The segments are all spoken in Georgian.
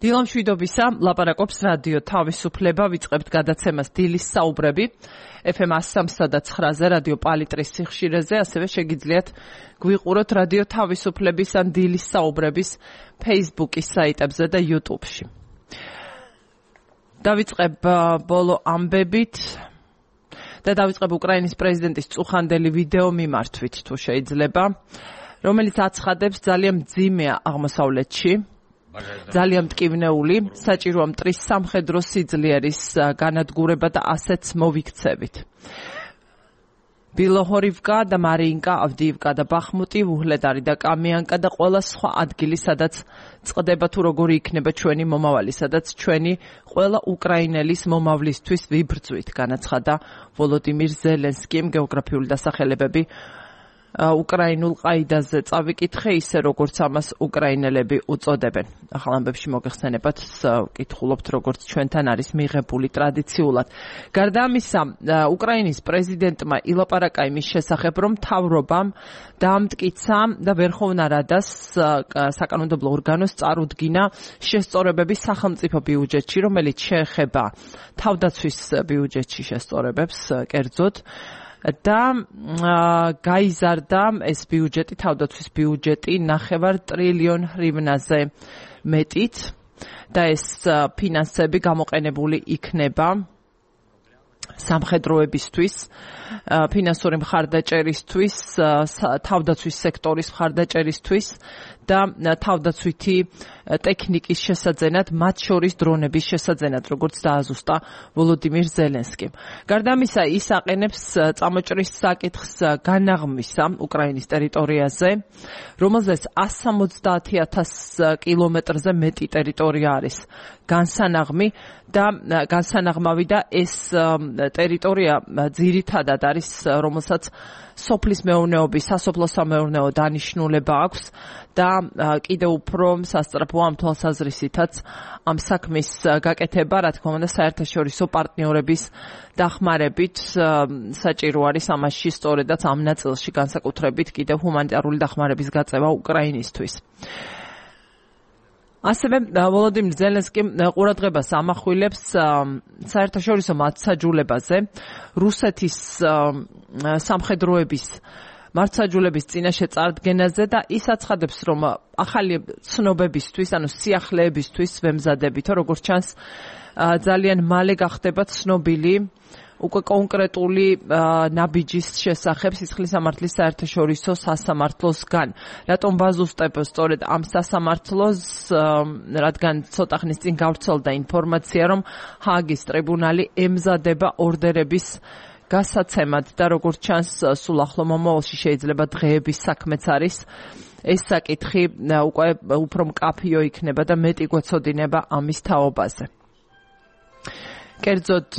დილამშვიდობისა, ლაპარაკობს რადიო თავისუფლება, ვიწყებთ გადაცემას დილის საუბრები, FM 103.9-ზე, რადიო პალიტრის სიხშირეზე, ასევე შეგიძლიათ გვიყუროთ რადიო თავისუფლების ან დილის საუბრების Facebook-ის საიტებზე და YouTube-ში. დავიწყებ ბოლო ამბებით და დავიწყებ უკრაინის პრეზიდენტის წუხანდელი ვიდეო მიმართვით, თუ შეიძლება, რომელიც აცხადებს ძალიან მძიმეა აღმოსავლეთში. ძალიან მტკივნეული, საჭიროა მტრის სამხედრო სიძლიერის განადგურება და ასეც მოვიქცევით. ბილოჰორივკა და მარიინკა, ავდიივკა და ბახმუტი, უჰლედარი და კამიანკა და ყველა სხვა ადგილი, სადაც წყდება თუ როგორი იქნება ჩვენი მომავალი, სადაც ჩვენი ყველა უკრაინელის მომავლისთვის ვიბრძვით, განაცხადა ვოლოდიმირ ზელენსკიმ. გეოგრაფიული დასახელებები უკრაინულ ყაიდაზე წავიკითხე, ისე როგორც ამას უკრაინელები უწოდებენ. ახალ ამბებში მოგეხსენებათ, ვკითხულობთ, როგორც ჩვენთან არის მიღებული ტრადიციულად. გარდა ამისა, უკრაინის პრეზიდენტმა ილაპარაკა იმის შესახებ, რომ მთავრობამ დაამტკიცა და ვერხოვნა რადას საკანონმდებლო ორგანოს წარუდგინა შესწორებები სახელმწიფო ბიუჯეტში, რომელიც შეეხება თავდაცვის ბიუჯეტში შესწორებებს, კერძოდ, და გაიზარდა ეს ბიუჯეტი, თავდაცვის ბიუჯეტი 9 ტრილიონ ჰრივნაზე მეტით და ეს ფინანსები გამოყენებული იქნება სამხედროებისთვის, ფინანსური მხარდაჭერისთვის, თავდაცვის სექტორის მხარდაჭერისთვის და თავდაცვითი ტექნიკის შესაძენად, მათ შორის დრონების შესაძენად, როგორც დააზუსტა ვოლოდიმირ ზელენსკიმ. გარდა ამისა, ის აყენებს წამოჭრის საკითხს განაღმისა უკრაინის ტერიტორიაზე, რომელზეც 170,000 კილომეტრზე მეტი ტერიტორია არის განსანაღმავი და ეს ტერიტორია ძირითადად არის, რომელსაც სოფლის მეურნეობის, სასოფლო-სამეურნეო დანიშნულება აქვს და კიდევ უფრო სასწრაფოა ამ თვალსაზრისითაც ამ საქმის გაკეთება, რა თქმა უნდა, საერთაშორისო პარტნიორების დახმარებით საჭირო არის ამაში სწორედაც ამ ნაწილში განსაკუთრებით კიდევ ჰუმანიტარული დახმარების გაწევა უკრაინისთვის. ასევე ვოლოდიმირ ზელენსკიმ ყურადღებას ამახვილებს საერთაშორისო მართლმსაჯულებაზე რუსეთის სამხედროების მართლმსაჯულების წინაშე წარდგენაზე და ის აცხადებს, რომ ახალი ცნობებისთვის, ანუ სიახლეებისთვის ვემზადებითო, როგორც ჩანს, ძალიან მალე გახდება ცნობილი უკვე კონკრეტული ნაბიჯის შესახებ სისხლის სამართლის საერთაშორისო სასამართლოსგან. რატომ ვაზუსტებ სწორედ ამ სასამართლოს, რადგან ცოტა ხნის წინ გავრცელდა ინფორმაცია, რომ ჰააგის ტრიბუნალი ემზადება ორდერების გასაცემად და როგორც ჩანს, სულ ახლო მომავალში შეიძლება დღეების საქმეც არის. ეს საკითხი უკვე უფრო მკაფიო იქნება და მეტი გვეცოდინება ამის თაობაზე. კერძოდ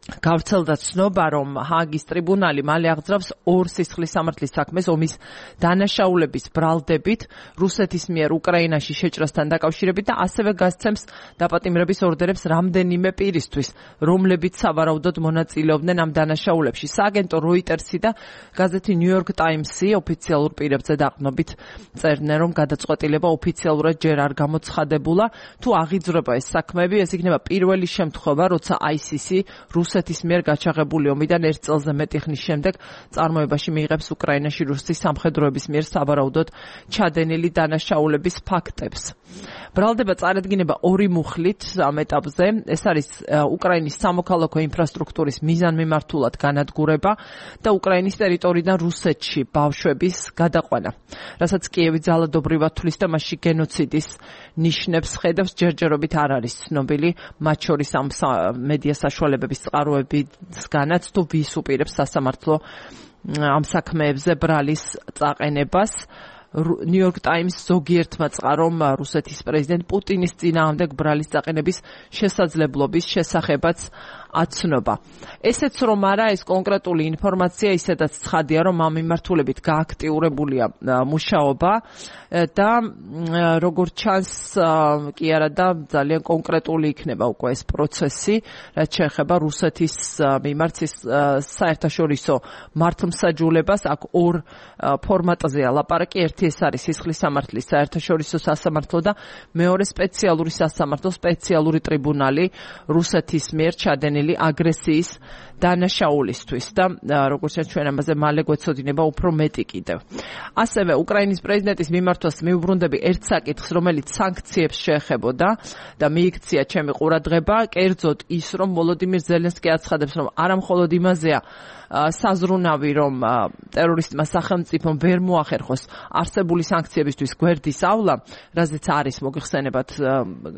გავრცელდა ცნობა, რომ ჰააგის ტრიბუნალი მალე აღძრავს ორ სისხლის სამართლის საქმეს ომის დანაშაულების ბრალდებით რუსეთის მიერ უკრაინაში შეჭრასთან დაკავშირებით და ასევე გასცემს დაპატიმრების ორდერებს რამდენიმე პირისთვის, რომლებიც სავარაუდოდ მონაწილეობდნენ ამ დანაშაულებში. სააგენტო როიტერსი და გაზეთი New York Times-ი ოფიციალურ პირებზე დაყრდნობით წერდნენ, რომ გადაწყვეტილება ოფიციალურად ჯერ არ გამოცხადებულა. თუ აღიძვრება ეს საქმეები, ეს იქნება პირველი შემთხვევა, როცა ICC რუსეთის მიერ გაჩაღებული ომიდან 1 წელზე მეტი ხნის შემდეგ წარმოებაში მიიღებს უკრაინაში რუსეთის სამხედროების მიერ სავარაუდოდ ჩადენილი დანაშაულების ფაქტებს. ბრალდება წარადგინება ორი მუხლით ამ ეტაპზე. ეს არის უკრაინის სამოქალაქო ინფრასტრუქტურის მიზანმიმართულად განადგურება და უკრაინის ტერიტორიიდან რუსეთში ბავშვების გადაყვანა, რასაც კიევი ძალადობრივად თვლის და მასში გენოციდის ნიშნებს ხედავს, ჯერჯერობით არ არის ცნობილი, მათ შორის ამ მედია საშუალებების წყაროებისგანაც, თუ ვის უპირებს სასამართლო ამ საქმეებზე ბრალის წაყენებას. New York Times ზოგიერთმა წყარომ რუსეთის პრეზიდენტ პუტინის წინააღმდეგ ბრალის წაყენების შესაძლებლობის შესახებაც აცნობა. ესეც რომ არა, ეს კონკრეტული ინფორმაცია ისედაც ცხადია, რომ ამ მიმართულებით გააქტიურებულია მუშაობა და როგორც ჩანს, კი არა და ძალიან კონკრეტული იქნება უკვე ეს პროცესი, რაც შეეხება რუსეთის მიმართ საერთაშორისო მართლმსაჯულებას. აქ ორ ფორმატზეა ლაპარაკი, ერთი ერთი ეს არის სისხლის სამართლის საერთაშორისო სასამართლო და მეორე სპეციალური სასამართლო, სპეციალური ტრიბუნალი რუსეთის მიერ ჩადენილი აგრესიის დანაშაულისთვის და როგორც ჩვენ ამაზე მალე გვეცოდინება უფრო მეტი კიდევ. ასევე უკრაინის პრეზიდენტის მიმართვას მიუბრუნდები ერთ საკითხს, რომელიც სანქციებს შეეხებოდა და მიიქცია ჩემი ყურადღება, კერძოდ ის, რომ ვოლოდიმირ ზელენსკი აცხადებს, რომ არა მხოლოდ იმაზეა საზრუნავი, რომ ტერორისტმა სახელმწიფომ ვერ მოახერხოს არსებული სანქციებისთვის გვერდის ავლა, რაზეც არის მოგიხსენებათ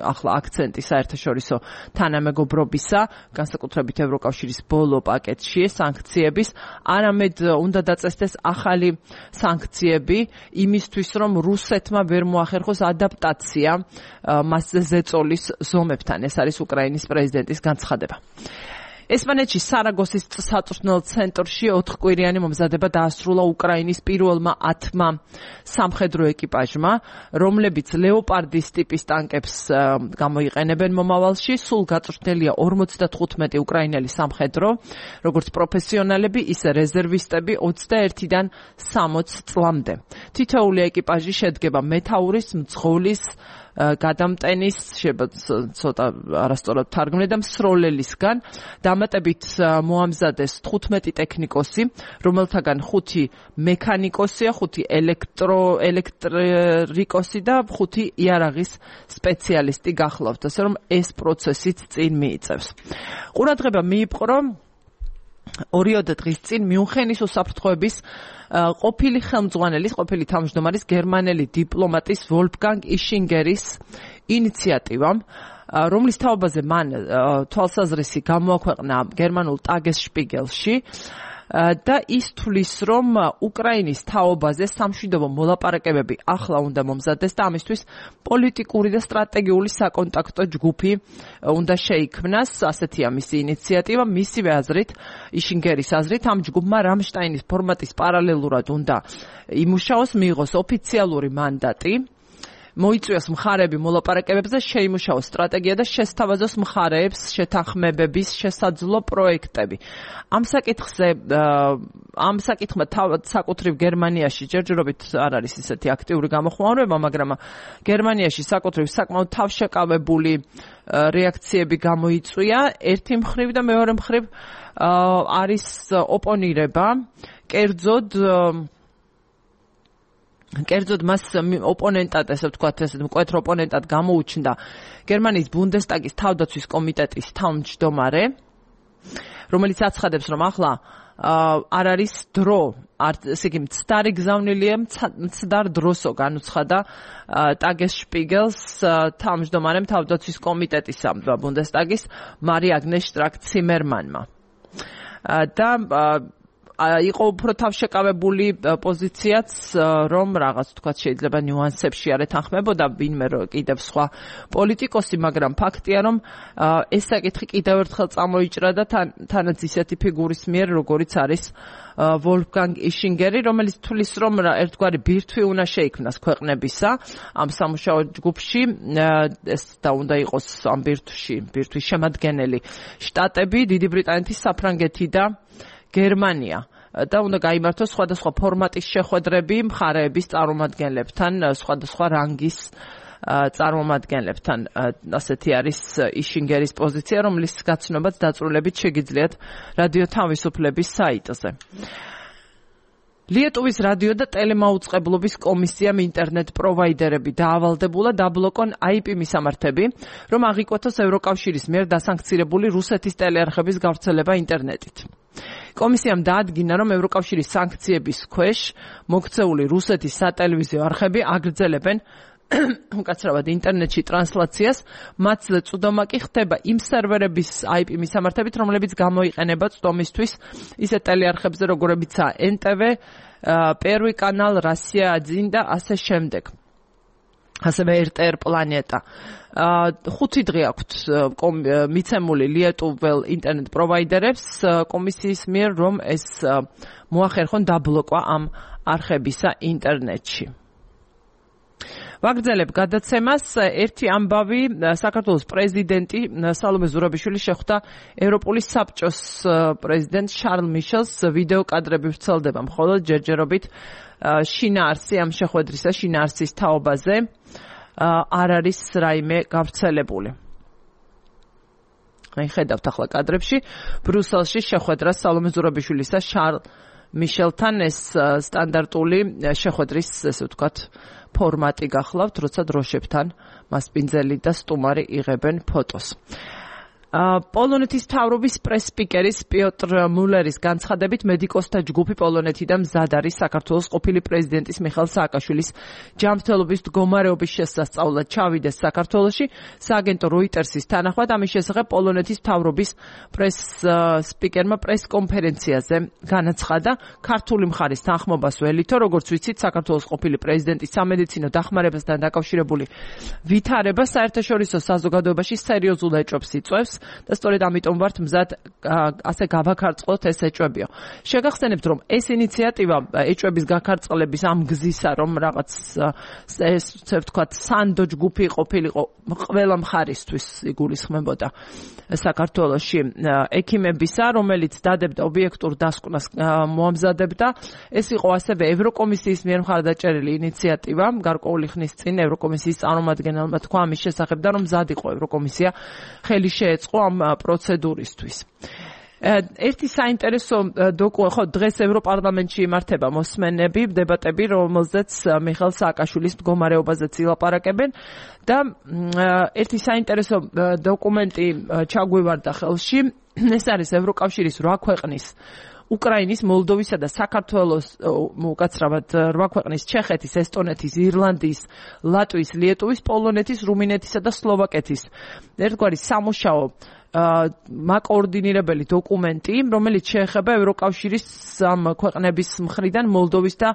ახლა აქცენტი საერთაშორისო თანამეგობრობისა, განსაკუთრებით ევროკავშირის ბოლო პაკეტში სანქციების, არამედ უნდა დაწესდეს ახალი სანქციები იმისთვის, რომ რუსეთმა ვერ მოახერხოს ადაპტაცია მასზე ზეწოლის ზომებთან. ეს არის უკრაინის პრეზიდენტის განცხადება. ესპანეთში სარაგოსის საწვრთნელ ცენტრში 4 კვირიანი მომზადება დაასრულა უკრაინის პირველმა 10-მა სამხედრო ეკიპაჟმა, რომლებიც ლეოპარდის ტიპის ტანკებს გამოიყენებენ მომავალში. სულ გაწვრთნელია 55 უკრაინელი სამხედრო, როგორც პროფესიონალები, ისე რეზერვისტები 21-დან 60 წლამდე. თითოეული ეკიპაჟი შედგება მეთაურის, მძღოლის, გადამტენის, ცოტა არასწორად თარგმნე და მსროლელისგან. დამატებით მოამზადეს 15 ტექნიკოსი, რომელთაგან 5 მექანიკოსია, 5 ელექტრიკოსი და 5 იარაღის სპეციალისტი გახლავთ, ასე რომ ეს პროცესიც წინ მიიწევს. ყურადღება მიიპყრო 2 დღის წინ მიუნხენის უსაფრთხოების ყოფილი ხელმძღვანელის, ყოფილი თავმჯდომარის, გერმანელი დიპლომატის ვოლფგანგ იშინგერის ინიციატივამ, რომლის თაობაზე მან თვალსაზრისი გამოაქვეყნა გერმანულ ტაგესშპიგელში და ის თვლის, რომ უკრაინის თაობაზე სამშვიდობო მოლაპარაკებები ახლა უნდა მომზადდეს და ამისთვის პოლიტიკური და სტრატეგიული საკონტაქტო ჯგუფი უნდა შეიქმნას. ასეთია მისი ინიციატივა. მისივე აზრით, იშინგერის აზრით, ამ ჯგუფმა რამშტაინის ფორმატის პარალელურად უნდა იმუშაოს, მიიღოს ოფიციალური მანდატი, მოიწვიოს მხარეები მოლაპარაკებებზე, შეიმუშაოს სტრატეგია და შესთავაზოს მხარეებს შეთანხმებების შესაძლო პროექტები. ამ საკითხმა თავად საკუთრივ გერმანიაში ჯერჯერობით არ არის ისეთი აქტიური გამოხმაურება, მაგრამ გერმანიაში საკუთრივ საკმაოდ თავშეკავებული რეაქციები გამოიწვია. ერთი მხრივ და მეორე მხრივ არის ოპონირება, კერძოდ მას ოპონენტად, ესე ვთქვათ, ესე მკვეთრ ოპონენტად გამოუჩნდა გერმანიის ბუნდესტაგის თავდაცვის კომიტეტის თავმჯდომარე, რომელიც აცხადებს, რომ ახლა არ არის დრო, ესე იგი მცდარი გზავნილია, მცდარ დროსო განუცხადა ტაგესშპიგელს თავმჯდომარემ თავდაცვის კომიტეტისა ბუნდესტაგის მარი აგნეს შტრაკ-ციმერმანმა. და იყო უფრო თავშეკავებული პოზიციაც, რომ რაღაც თქვა შეიძლება ნიუანსებში არ ეთანხმებოდა ვინმე კიდევ სხვა პოლიტიკოსი, მაგრამ ფაქტია, რომ ეს საკითხი კიდევ ერთხელ წამოიჭრა და თანაც ისეთი ფიგურის მიერ, როგორიც არის ვოლფგანგ იშინგერი, რომელიც თვლის, რომ ერთგვარი ბირთვი უნდა შეიქმნას ქვეყნებისა ამ სამუშაო ჯგუფში, ეს და უნდა იყოს ამ ბირთვის შემადგენელი შტატები, დიდი ბრიტანეთი, საფრანგეთი და გერმანია და უნდა გაიმართოს სხვადასხვა ფორმატის შეხვედრები მხარეების წარმომადგენლებთან, სხვადასხვა რანგის წარმომადგენლებთან. ასეთი არის იშინგერის პოზიცია, რომლის გაცნობაც დაწვრილებით შეგიძლიათ რადიო თავისუფლების საიტზე. ლიეტუვის რადიო და ტელემაუწყებლობის კომისიამ ინტერნეტ პროვაიდერები დაავალდებულა დაბლოკონ IP მისამართები, რომ აღიკვეთოს ევროკავშირის მიერ დასანქცირებული რუსეთის ტელეარხების გავრცელება ინტერნეტით. კომისიამ დაადგინა, რომ ევროკავშირის სანქციების ქვეშ მოქცეული რუსეთის სატელევიზიო არხები აგრძელებენ უკაცრავად ინტერნეტში ტრანსლაციას, მათზე წვდომა კი ხდება იმ სერვერების IP მისამართებით, რომლებიც გამოიყენება წვდომისთვის ისეთ ტელეარხებზე, როგორებიცაა NTV, Первый канал, Россия 1 და ასე შემდეგ. ასევე RTR Planeta. 5 დღე აქვთ მიცემული ლიეტუվել ინტერნეტ პროვაიდერებს კომისიის მიერ, რომ ეს მოახერხონ დაბლოკვა ამ არხებისა ინტერნეტში. ვაგრძელებ გადაცემას. ერთი ამბავი, საქართველოს პრეზიდენტი სალომე ზურაბიშვილი შეხვდა ევროპული საბჭოს პრეზიდენტ შარლ მიშელს. ვიდეო კადრები ვრცელდება მხოლოდ ჯერჯერობით. შინაარსი ამ შეხვედრისა, შინაარსის თაობაზე არ არის რაიმე გავრცელებული. ხედავთ ახლა კადრებში ბრიუსელში შეხვედრა სალომე ზურაბიშვილისა შარლ მიშელთან. ეს სტანდარტული შეხვედრის, ესე ვთქვათ, ფორმატი გახლავთ, როცა დროშებთან მასპინძელი და სტუმარი იღებენ ფოტოს. პოლონეთის მთავრობის პრეს-სპიკერის პიოტრ მულერის განცხადებით მედიკოსთა ჯგუფი პოლონეთიდან მზად არის საქართველოს ყოფილი პრეზიდენტის მიხეილ სააკაშვილის ჯანმრთელობის მდგომარეობის შესასწავლად ჩავიდეს საქართველოში. სააგენტო როიტერსის თანახმად ამის შესახებ პოლონეთის მთავრობის პრეს-სპიკერმა პრეს-კონფერენციაზე განაცხადა. ქართული მხარის თანხმობას ველითო, როგორც ვიცით, საქართველოს ყოფილი პრეზიდენტის სამედიცინო დახმარებასთან დაკავშირებული ვითარება საერთაშორისო საზოგადოებაში სერიოზულ ეჭვებს იწვევს. და სწორედ ამიტომ ვართ მზად ასე გავაქარწყლოთ ეს ეჭვებიო. შეგახსენებთ, რომ ეს ინიციატივა ეჭვების გაქარწყლების ამ გზისა, რომ რაღაც ესე ვთქვათ, სანდო ჯგუფი ყოფილიყო ყველა მხარისთვის იგულისხმებოდა საქართველოში ექიმებისა, რომელიც დადებდა ობიექტურ დასკვნას მოამზადებდა. ეს იყო ასევე ევროკომისიის მიერ მხარდაჭერილი ინიციატივა. გარკვეული ხნის წინ ევროკომისიის წარმომადგენელმა თქვა ამის შესახებ და რომ მზად იყო ევროკომისია ხელი შეეწყო ამ პროცედურისთვის. ერთი საინტერესო ხო დღეს ევროპარლამენტში იმართება მოსმენები, დებატები, რომელზეც მიხეილ სააკაშვილის მდგომარეობაზეც ილაპარაკებენ და ერთი საინტერესო დოკუმენტი ჩაგვივარდა ხელში. ეს არის ევროკავშირის 8 ქვეყნის უკრაინის, მოლდოვისა და საქართველოს, უკაცრავად 8 ქვეყნის ჩეხეთის, ესტონეთის, ირლანდიის, ლატვიის, lietuvas, პოლონეთის, რუმინეთისა და სლოვაკეთის ერთგვარი სამუშაო მაკოორდინირებელი დოკუმენტი, რომელიც შეეხება ევროკავშირის ამ ქვეყნების მხრიდან მოლდოვის და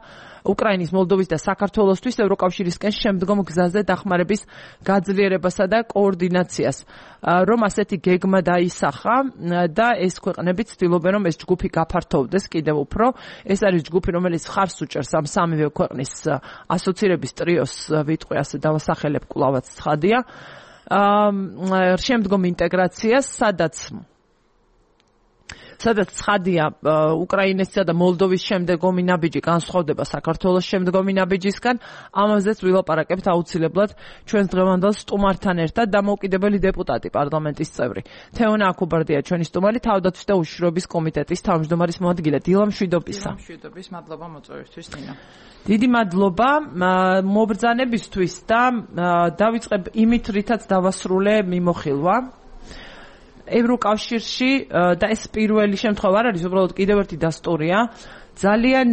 უკრაინის, მოლდოვის და საქართველოსთვის ევროკავშირისკენ შემდგომ გზაზე დახმარების გაძლიერებასა და კოორდინაციას, რომ ასეთი გეგმა დაისახა და ეს ქვეყნები ცდილობენ, რომ ეს ჯგუფი გაფართოვდეს კიდევ უფრო. ეს არის ჯგუფი, რომელიც ხარს უჭერს ამ სამივე ქვეყნის ასოცირების ტრიოს, ვიტყვი ასე დავასახელებ, კვლავაც ცხადია. შემდგომ ინტეგრაციას, სადაც ცხადია უკრაინესა და მოლდოვის შემდგომი ნაბიჯი განსხვავდება საქართველოს შემდგომი ნაბიჯისგან. ამაზეც ვილაპარაკებთ აუცილებლად ჩვენს დღევანდელ სტუმართან ერთად. დამოუკიდებელი დეპუტატი, პარლამენტის წევრი თეონა აქუბარდია ჩვენი სტუმარი, თავდაცვის და უშიშროების კომიტეტის თავმჯდომარის მოადგილე. დილა მშვიდობისა. მშვიდობის, მადლობა მოწვევისთვის, ნინა. დიდი მადლობა მობრძანებისთვის და დავიწყებ იმით, რითაც დავასრულე მიმოხილვა. ევროკავშირში და ეს პირველი შემთხვევა არ არის, უბრალოდ კიდევ ერთი დასტურია. ძალიან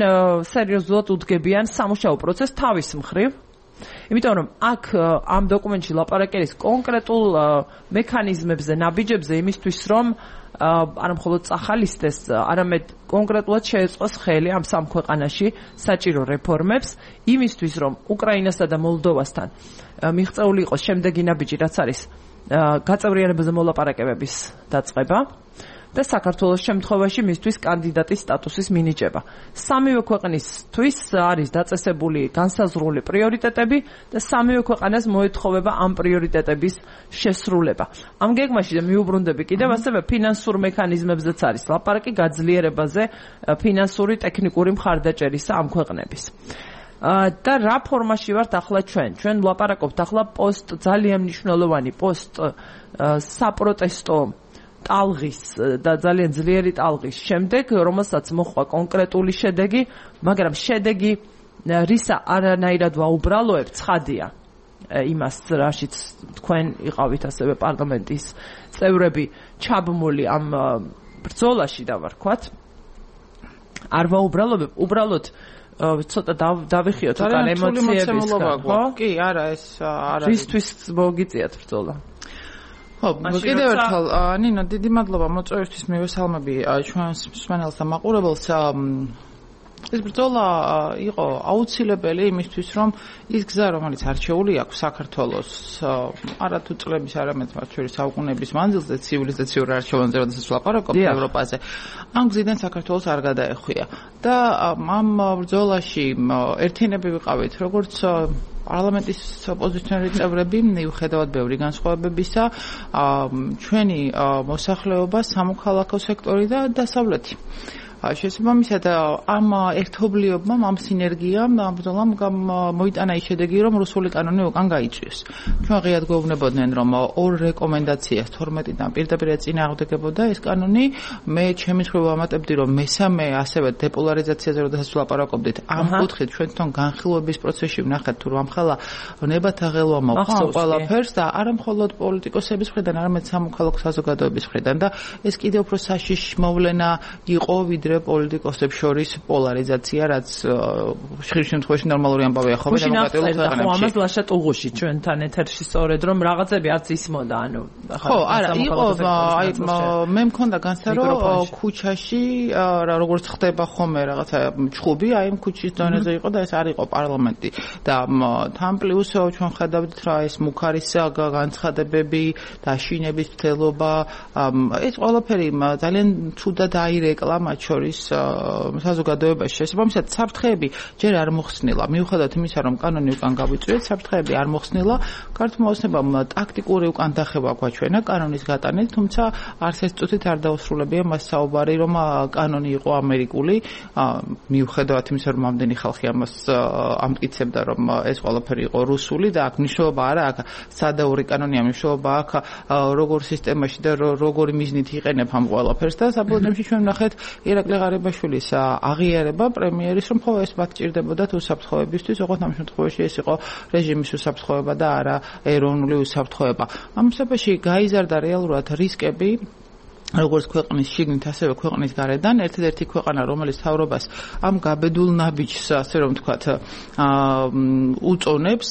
სერიოზულად უდგებიან სამუშაო პროცესს თავის მხრივ. იმიტომ რომ აქ ამ დოკუმენტში ლაპარაკერის კონკრეტულ მექანიზმებზე, ნაბიჯებზე იმისთვის, რომ არა მხოლოდ წახალისდეს, არამედ კონკრეტულად შეეწყოს ხელი ამ სამ ქვეყანაში საჭირო რეფორმებს, იმისთვის, რომ უკრაინასა და მოლდოვასთან მიღწეული იყოს შემდეგი ნაბიჯი, რაც არის გაწევრიანებაზე მოლაპარაკებების დაწყება და საქართველოს შემთხვევაში მისთვის კანდიდატის სტატუსის მინიჭება. სამივე ქვეყნისთვის არის დაწესებული განსაზღვრული პრიორიტეტები და სამივე ქვეყანას მოეთხოვება ამ პრიორიტეტების შესრულება. ამ გეგმაში მიუბრუნდები კიდევ ასევე ფინანსურ მექანიზმებზეც არის ლაპარაკი გაძლიერებაზე ფინანსური ტექნიკური მხარდაჭერისა ამ ქვეყნების. და რა ფორმაში ვართ ახლა ჩვენ? ჩვენ ვლაპარაკობთ ახლა ძალიან მნიშვნელოვანი საპროტესტო ტალღის და ძალიან ძლიერი ტალღის შემდეგ, რომელსაც მოხდა კონკრეტული შედეგი, მაგრამ შედეგი რისა არანაირად ვაუბრალოებ, ცხადია. იმას რაშიც თქვენ იყავით ასევე პარლამენტის წევრები ჩაბმული ამ ბრძოლაში დავარქვათ. არ ვაუბრალობებ, უბრალოდ ცოტა დავიხიოთ უკან ემოციებისგან, ხო? კი, არა, ეს არ არის. რისთვის მოგიწიათ ბრძოლა? ხო, კიდევ ერთხელ, ნინო, დიდი მადლობა მოწვევისთვის, მივესალმები ჩვენს მსმენელს და მაყურებელს. ეს ბრძოლა იყო აუცილებელი იმისთვის, რომ ის გზა, რომელიც არჩეული აქვს საქართველოს არათუ წლების, არამედ მათ შორის საუკუნეების მანძილზე ცივილიზაციურ არჩევანზე, როდესაც ვლაპარაკობთ ევროპაზე, ამ გზიდან საქართველოს არ გადაეხვია. და ამ ბრძოლაში ერთიანები ვიყავით, როგორც პარლამენტის ოპოზიციონერი წევრები მიუხედავად ბევრი განსხვავებებისა ჩვენი მოსახლეობა სამოქალაქო სექტორი და დასავლეთი შესაბამისად ამ ერთობლიობამ ამ სინერგიამ ბრძოლამ მოიტანა ის შედეგი რომ რუსული კანონი უკან გაიწვიეს ჩვენ ღიად გვეუბნებოდნენ რომ ორ რეკომენდაციას 12-დან პირდაპირ ეწინააღმდეგებოდა ეს კანონი მე ჩემი მხრივ ვამატებდი რომ მესამე ასევე დეპოლარიზაციაზე როდესაც ვლაპარაკობდით ამ კუთხით ჩვენ თვითონ განხილვების პროცესში ვნახეთ თუ რამხელა ნებათა ღელვა მოყვა ყველაფერს და არა მხოლოდ პოლიტიკოსების მხრიდან არამედ სამოქალაქო საზოგადოების მხრიდან და ეს კიდევ უფრო საშიში მოვლენა იყო ვიდრე პოლიტიკოსებს შორის პოლარიზაცია, რაც ხშირ შემთხვევაში ნორმალური ამბავია ხო დემოკრატიულ ქვეყანებში. ხო, ამას ლაშა ტუღუში ჩვენთან ეთერში სწორედ რომ რაღაცები არც ისმოდა, ანუ ხო, არა, იყო მე მქონდა განცდა რომ ქუჩაში როგორც ხდება ხოლმე რაღაცა ჩხუბი, აი ამ ქუჩის დონეზე იყო და ეს არ იყო პარლამენტი და თან პლუს ჩვენ ხედავთ რა ეს მუქარის განცხადებები და შინების მცდელობა ეს ყველაფერი ძალიან ცუდად აირეკლა მათ შორის საზოგადოებაში შესაბამისად საფრთხეები ჯერ არ მოხსნილა მიუხედავად იმისა რომ კანონი უკან გავიწვიეთ საფრთხეები არ მოხსნილა ქართულმა ოცნებამ ტაქტიკური უკან დახევა გვაჩვენა კანონის გატანით თუმცა არც ეს წუთით არ დაუსრულებია მას საუბარი რომ კანონი იყო ამერიკული მიუხედავად იმისა რომ ამდენი ხალხი ამას ამტკიცებდა რომ ეს ყველაფერი იყო რუსული და აქ მნიშვნელობა არა აქ სადაური კანონია მნიშვნელობა აქ როგორ სისტემაში და როგორი მიზნით იყენებ ამ ყველაფერს და საბოლოოში ჩვენ ვნახეთ ირაკლი ღარიბაშვილის აღიარება პრემიერის რომ ხო ეს მათ ჭირდებოდა თუ უსაფრთხოებისთვის, ოღონდ ამ შემთხვევაში ეს იყო რეჟიმის უსაფრთხოება და არა ეროვნული უსაფრთხოება. ამ შემთხვევაში გაიზარდა რეალურად რისკები როგორც ქვეყნის შიგნით, ასევე ქვეყნის გარედან, ერთადერთი ქვეყანა, რომელიც თავრობას ამ გაბედულ ნაბიჯს, ასე რომ ვთქვათ, უწონებს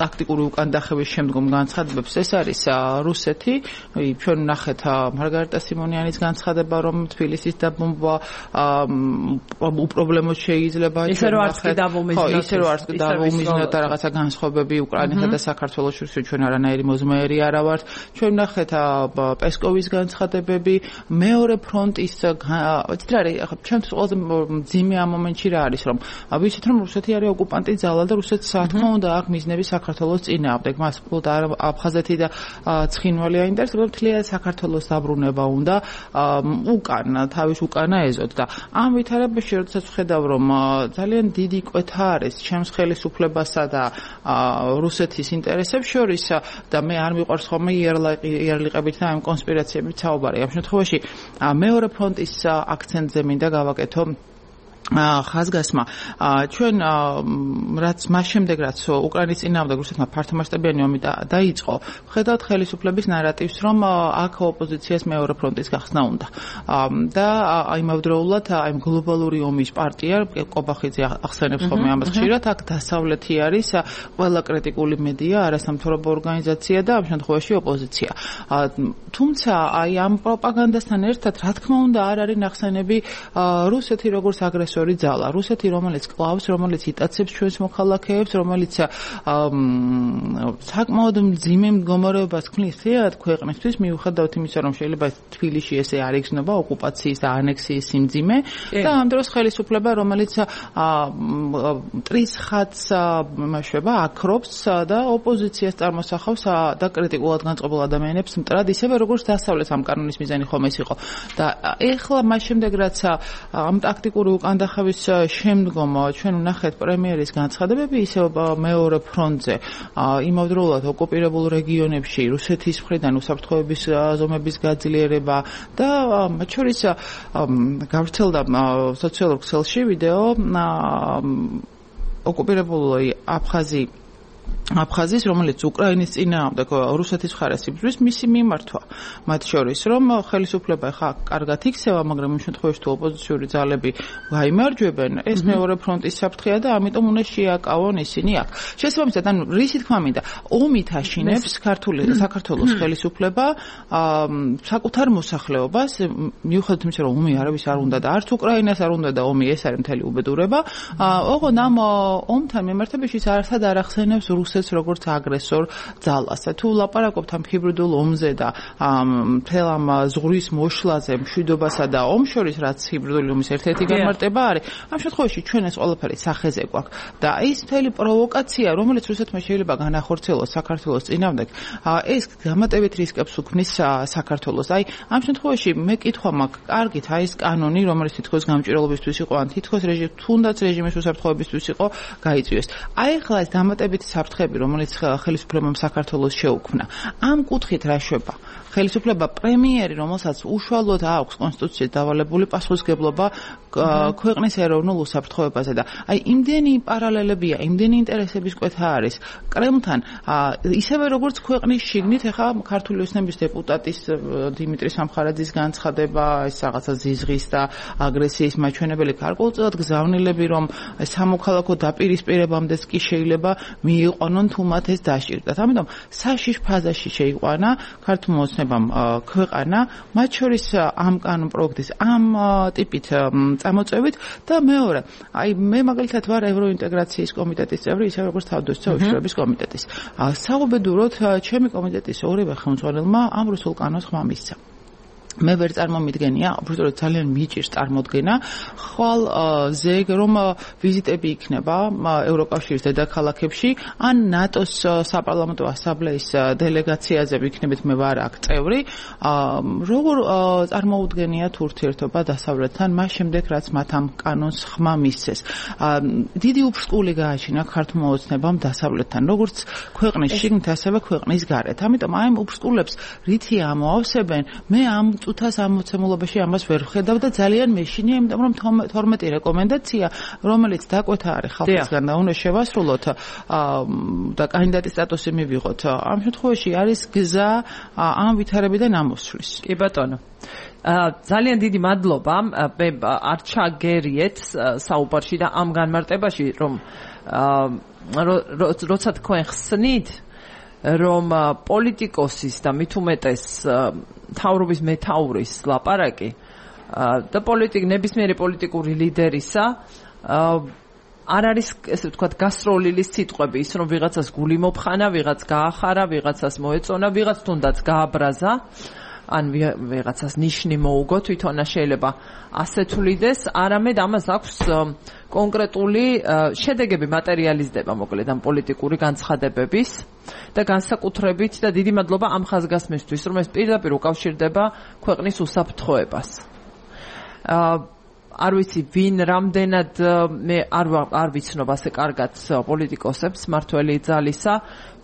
ტაქტიკური უკანდახევის შემდგომ განცხადებებს, ეს არის რუსეთი. ჩვენ ვნახეთ მარგარიტა სიმონიანის განცხადება, რომ თბილისის დაბომბვა უპრობლემოდ შეიძლება. ისე რომ არც კი დავუმიზნოთ. ისე რომ არც კი დავუმიზნოთ და რაღაცა განსხვავებები უკრაინასა და საქართველოს შორის ჩვენ არანაირი მოზმეერი არა ვართ. ჩვენ ვნახეთ პესკოვის განცხადებები. მეორე ფრონტის ვიცით რა არის ახლა ჩემთვის ყველაზე მძიმე ამ მომენტში რა არის რომ ვიცით რომ რუსეთი არის ოკუპანტი ძალა და რუსეთს რა თქმა უნდა აქვს მიზნები საქართველოს წინააღმდეგ მას მხოლოდ აფხაზეთი და ცხინვალი აინტერესებს თლიანად საქართველოს დაბრუნება უნდა უკან თავის უკანა ეზოთ და ამ ვითარებაში როდესაც ვხედავ რომ ძალიან დიდი კვეთა არის ჩემს ხელისუფლებასა და რუსეთის ინტერესებს შორის და მე არ მიყვარს ხოლმე იარლიყებით და ამ კონსპირაციებით საუბარი ამ შემთხვევაში მეორე ფრონტის აქცენტზე მინდა გავაკეთო ხაზგასმა ჩვენ რაც მას შემდეგ რაც უკრაინის წინააღმდეგ რუსეთმა ფართომასშტაბიანი ომი დაიწყო ხედავთ ხელისუფლების ნარატივს რომ აქ ოპოზიციას მეორე ფრონტის გახსნა უნდა და იმავდროულად აი გლობალური ომის პარტია კობახიძე ახსენებს ხოლმე ამას ხშირად აქ დასავლეთი არის ყველა კრიტიკული მედია არასამთავრობო ორგანიზაცია და ამ შემთხვევაში ოპოზიცია თუმცა აი ამ პროპაგანდასთან ერთად რა თქმა უნდა არ არის ნახსენები რუსეთი როგორც აგრესორი ძალა რუსეთი რომელიც კლავს რომელიც იტაცებს ჩვენს მოქალაქეებს რომელიც საკმაოდ მძიმე მდგომარეობას ქმნის თეატრ ქვეყნისთვის მიუხედავად იმისა რომ შეიძლება თბილისში ესე არ იგრძნობა ოკუპაციის და ანექსიის სიმძიმე და ამ დროს ხელისუფლება რომელიც მტრის ხატს იმაშება აკრობს და ოპოზიციას წარმოსახავს და კრიტიკულად განწყობილ ადამიანებს მტრად ისევე როგორც დასავლეთ ამ კანონის მიზანი ხომ ეს იყო და ეხლა მას შემდეგ რაც ამ ტაქტიკური უკანდახევის შემდგომ ჩვენ ვნახეთ პრემიერის განცხადებები ისევ მეორე ფრონტზე იმავდროულად ოკუპირებულ რეგიონებში რუსეთის მხრიდან უსაფრთხოების ზომების გაძლიერება და მათ შორის გავრცელდა სოციალურ ქსელში ვიდეო ოკუპირებული აფხაზის რომელიც უკრაინის წინააღმდეგ რუსეთის მხარეს იბრძვის მისი მიმართვა მათ შორის რომ ხელისუფლება ხა კარგად იქცევა მაგრამ იმ შემთხვევაში თუ ოპოზიციური ძალები გაიმარჯვებენ ეს მეორე ფრონტის საფრთხეა და ამიტომ უნდა შეაკავონ ისინი აქ შესაბამისად ანუ რისი თქმა მინდა ომით აშინებს საქართველოს ხელისუფლება საკუთარ მოსახლეობას მიუხედავად იმისა რომ ომი არავის არ უნდა და არც უკრაინას არ უნდა და ომი ეს არის მთელი უბედურება ოღონდ ამ ომთან მიმართებაში არასად არ ახსენებს რუსეთს როგორც აგრესორ ძალას. თუ ლაპარაკობთ ამ ჰიბრიდულ ომზე და მთელ ამ ზღვრის მოშლაზე, მშვიდობასა და ომს შორის, რაც ჰიბრიდული ომის ერთ-ერთი განმარტება არის, ამ შემთხვევაში ჩვენ ეს ყველაფერი სახეზე გვაქვს და ის მთელი პროვოკაცია, რომელიც რუსეთმა შეიძლება განახორციელოს საქართველოს წინააღმდეგ, ეს გამატებით რისკებს უქმნის საქართველოს. აი, ამ შემთხვევაში მე კითხვა მაქვს, კარგით, აი ეს კანონი, რომელიც თითქოს გამჭირვალობისთვის იყო, ან თითქოს თუნდაც რეჟიმის უსაფრთხოებისთვის იყო, გაიწვიეს. აი ახლა ეს დამატებითი საფრთხები, რომელიც ხელისუფლებამ საქართველოს შეუქმნა, ამ კუთხით რა შვება? ხელისუფლება პრემიერი, რომელსაც უშუალოდ აქვს კონსტიტუციით დავალებული პასუხისმგებლობა ქვეყნის ეროვნულ უსაფრთხოებაზე და აი იმდენი პარალელებია, იმდენი ინტერესების კვეთა არის კრემლთან, ისევე როგორც ქვეყნის შიგნით ახლა ქართული ოცნების დეპუტატის დიმიტრი სამხარაძის განცხადება, ეს რაღაცა ზიზღის და აგრესიის მაჩვენებელი გარკვეულწილად გზავნილები, რომ სამოქალაქო დაპირისპირებამდეც კი შეიძლება მიიყვანონ თუ მათ ეს დაშიrdათ. ამიტომ საშიშ ფაზაში შეიყვანა ქართულმა ოცნებამ ქვეყანა, მათ შორის ამ კანონ პროექტის ამ ტიპით წამოწევით და მეორე, აი მე მაგალითად ვარ ევროინტეგრაციის კომიტეტის წევრი, ისე როგორც თავდაცვის უშუალობის კომიტეტის. საუბედუროდ ჩემი კომიტეტის ორივე ხელმძღვანელმა ამ რუსულ კანონს ხმა მისცა. მე ვერ წარმომიდგენია, უბრალოდ ძალიან მიჭირს წარმოდგენა, ხვალ ზეგ რომ ვიზიტები იქნება ევროკავშირის დედაქალაქებში, ან ნატოს საპარლამენტო ასამბლეის დელეგაციაზე ვიქნებით, მე ვარ აქ წევრი, როგორ წარმოუდგენია თუ ურთიერთობა დასავლეთთან, მას შემდეგ რაც მათ ამ კანონს ხმა მისცეს. დიდი უფსკული გააჩინა ქართულმა ოცნებამ დასავლეთთან, როგორც ქვეყნის შიგნით, ასევე ქვეყნის გარეთ. ამიტომ აი ამ უფსკულებს რითი ამოავსებენ, მე ამ წუთას ამ მოცემულობაში ამას ვერ ვხედავ და ძალიან მეშინია, იმიტომ რომ 12 რეკომენდაცია, რომელიც დაკვეთა არის ხალხისგან და უნდა შევასრულოთ და კანდიდატის სტატუსი მივიღოთ. ამ შემთხვევაში არის გზა ამ ვითარებიდან ამოსვლის. კი ბატონო. ძალიან დიდი მადლობა. მე არ ჩაგერიეთ საუბარში და ამ განმარტებაში, რომ როცა თქვენ ხსნით, რომ პოლიტიკოსის და მით უმეტეს მთავრობის მეთაურის ლაპარაკი და ნებისმიერი პოლიტიკური ლიდერისა არ არის, ესე ვთქვათ, გასროლილის სიტყვები, ის რომ ვიღაცას გული მოფხანა, ვიღაც გაახარა, ვიღაცას მოეწონა, ვიღაც თუნდაც გააბრაზა, ან ვიღაცას ნიშნი მოუგო, თვითონა შეიძლება ასე თვლიდეს, არამედ ამას აქვს კონკრეტული შედეგები მატერიალიზდება, მოკლედ ამ პოლიტიკური განცხადებების და განსაკუთრებით და დიდი მადლობა ამ ხაზგასმისთვის, რომ ეს პირდაპირ უკავშირდება ქვეყნის უსაფრთხოებას. არ ვიცი ვინ რამდენად მე არ ვიცნობ ასე კარგად პოლიტიკოსებს მართველი ძალისა,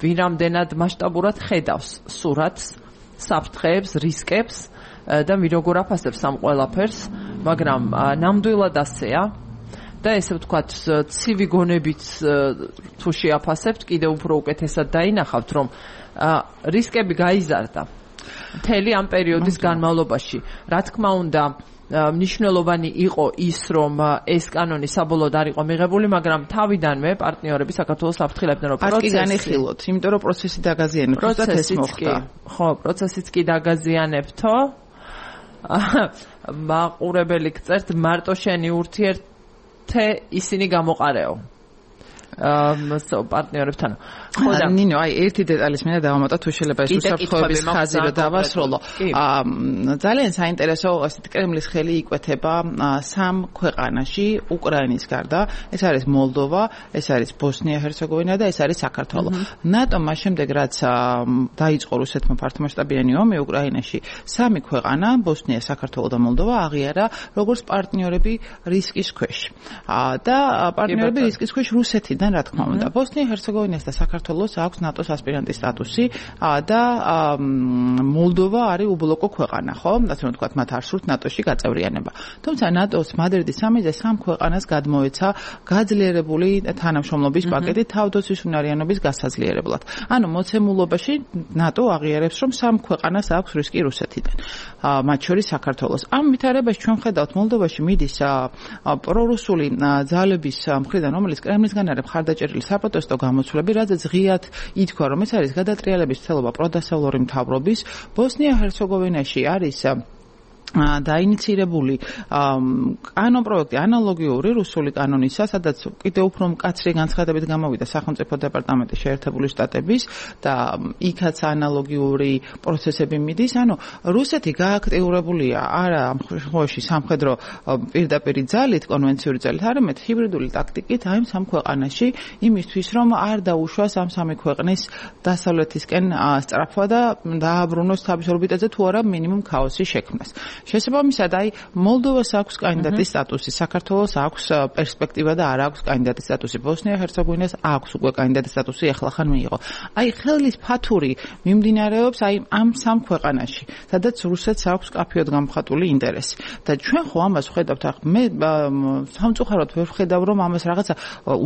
ვინ რამდენად მასშტაბურად ხედავს სურათს, საფრთხეებს, რისკებს და ვინ როგორ აფასებს ამ ყველაფერს, მაგრამ ნამდვილად ასეა და ესე ვთქვათ, ცივი გონებით თუ შეაფასებთ, კიდევ უფრო უკეთესად დაინახავთ, რომ რისკები გაიზარდა მთელი ამ პერიოდის განმავლობაში. რა თქმა უნდა, მნიშვნელოვანი იყო ის, რომ ეს კანონი საბოლოოდ არ იყო მიღებული, მაგრამ თავიდანვე პარტნიორები საქართველოს საფრთხილებდნენ, რომ პროცესი განეხილოთ, იმიტომ რომ პროცესი დაგაზიანებთ, ეს მოხდა. ხო, პროცესიც კი დაგაზიანებთო. მაყურებელი გწერთ, მარტო შენი ურთიერთე ისინი გამოყარეო. პარტნიორებთან. ხო და ნინო, აი ერთი დეტალის მინდა დავამატო, თუ შეიძლება ეს უსაფრთხოების ხაზი რომ დავასრულო. ძალიან საინტერესო, ასეთ კრემლის ხელი იკვეთება სამ ქვეყანაში, უკრაინის გარდა, ეს არის მოლდოვა, ეს არის ბოსნია-ჰერცეგოვინა და ეს არის საქართველო. ნატომ მას შემდეგ რაც დაიწყო რუსეთმა ფართომასშტაბიანი ომი უკრაინაში, სამი ქვეყანა, ბოსნია, საქართველო და მოლდოვა აღიარა როგორც პარტნიორები რისკის ქვეშ. და პარტნიორები რისკის ქვეშ რუსეთიდან, რა თქმა უნდა, ბოსნია-ჰერცეგოვინას და საქართველოს აქვს ნატოს ასპირანტის სტატუსი და მოლდოვა არის უბლოკო ქვეყანა, ხო? ასე რომ ვთქვათ, მათ არ სურთ ნატოში გაწევრიანება. თუმცა ნატოს მადრიდის სამიტზე სამ ქვეყანას გადმოეცა გაძლიერებული თანამშრომლობის პაკეტი თავდაცვის უნარიანობის გასაძლიერებლად. ანუ მოცემულობაში ნატო აღიარებს, რომ სამ ქვეყანას აქვს რისკი რუსეთიდან, მათ შორის საქართველოს. ამ ვითარებაში ჩვენ ხედავთ მოლდოვაში მიდის პრორუსული ძალების მხრიდან, რომელიც კრემლისგან არის მხარდაჭერილი საპროტესტო გამოსვლები, რადგან ღიად ითქვა, რომ ეს არის გადატრიალების ცდილობა პროდასავლური მთავრობის. ბოსნია-ჰერცეგოვინაში არის დაინიცირებული კანონ პროექტი ანალოგიური რუსული კანონისა, სადაც კიდევ უფრო მკაცრი განცხადებით გამოვიდა სახელმწიფო დეპარტამენტის შეერთებული შტატების და იქაც ანალოგიური პროცესები მიდის. ანუ რუსეთი გააქტიურებულია არა ამ შემთხვევაში სამხედრო პირდაპირ ძალით, კონვენციური ძალით, არამედ ჰიბრიდული ტაქტიკით აი სამ ქვეყანაში იმისთვის, რომ არ დაუშვას ამ სამი ქვეყნის დასავლეთისკენ სწრაფვა და დააბრუნოს თავის ორბიტაზე თუ არა მინიმუმ ქაოსი შექმნას. შესაბამისად, აი მოლდოვას აქვს კანდიდატის სტატუსი, საქართველოს აქვს პერსპექტივა და არ აქვს კანდიდატის სტატუსი. ბოსნია-ჰერცეგოვინას აქვს უკვე კანდიდატის სტატუსი, ახლახან მიიღო. აი ხელის ფათური მიმდინარეობს აი ამ სამ ქვეყანაში, სადაც რუსეთს აქვს კაფეოდ გამხატული ინტერესი. და ჩვენ ხო ამას ვხედავთ, მე სამწუხაროდ ვერ ვხედავ, რომ ამას რაღაცა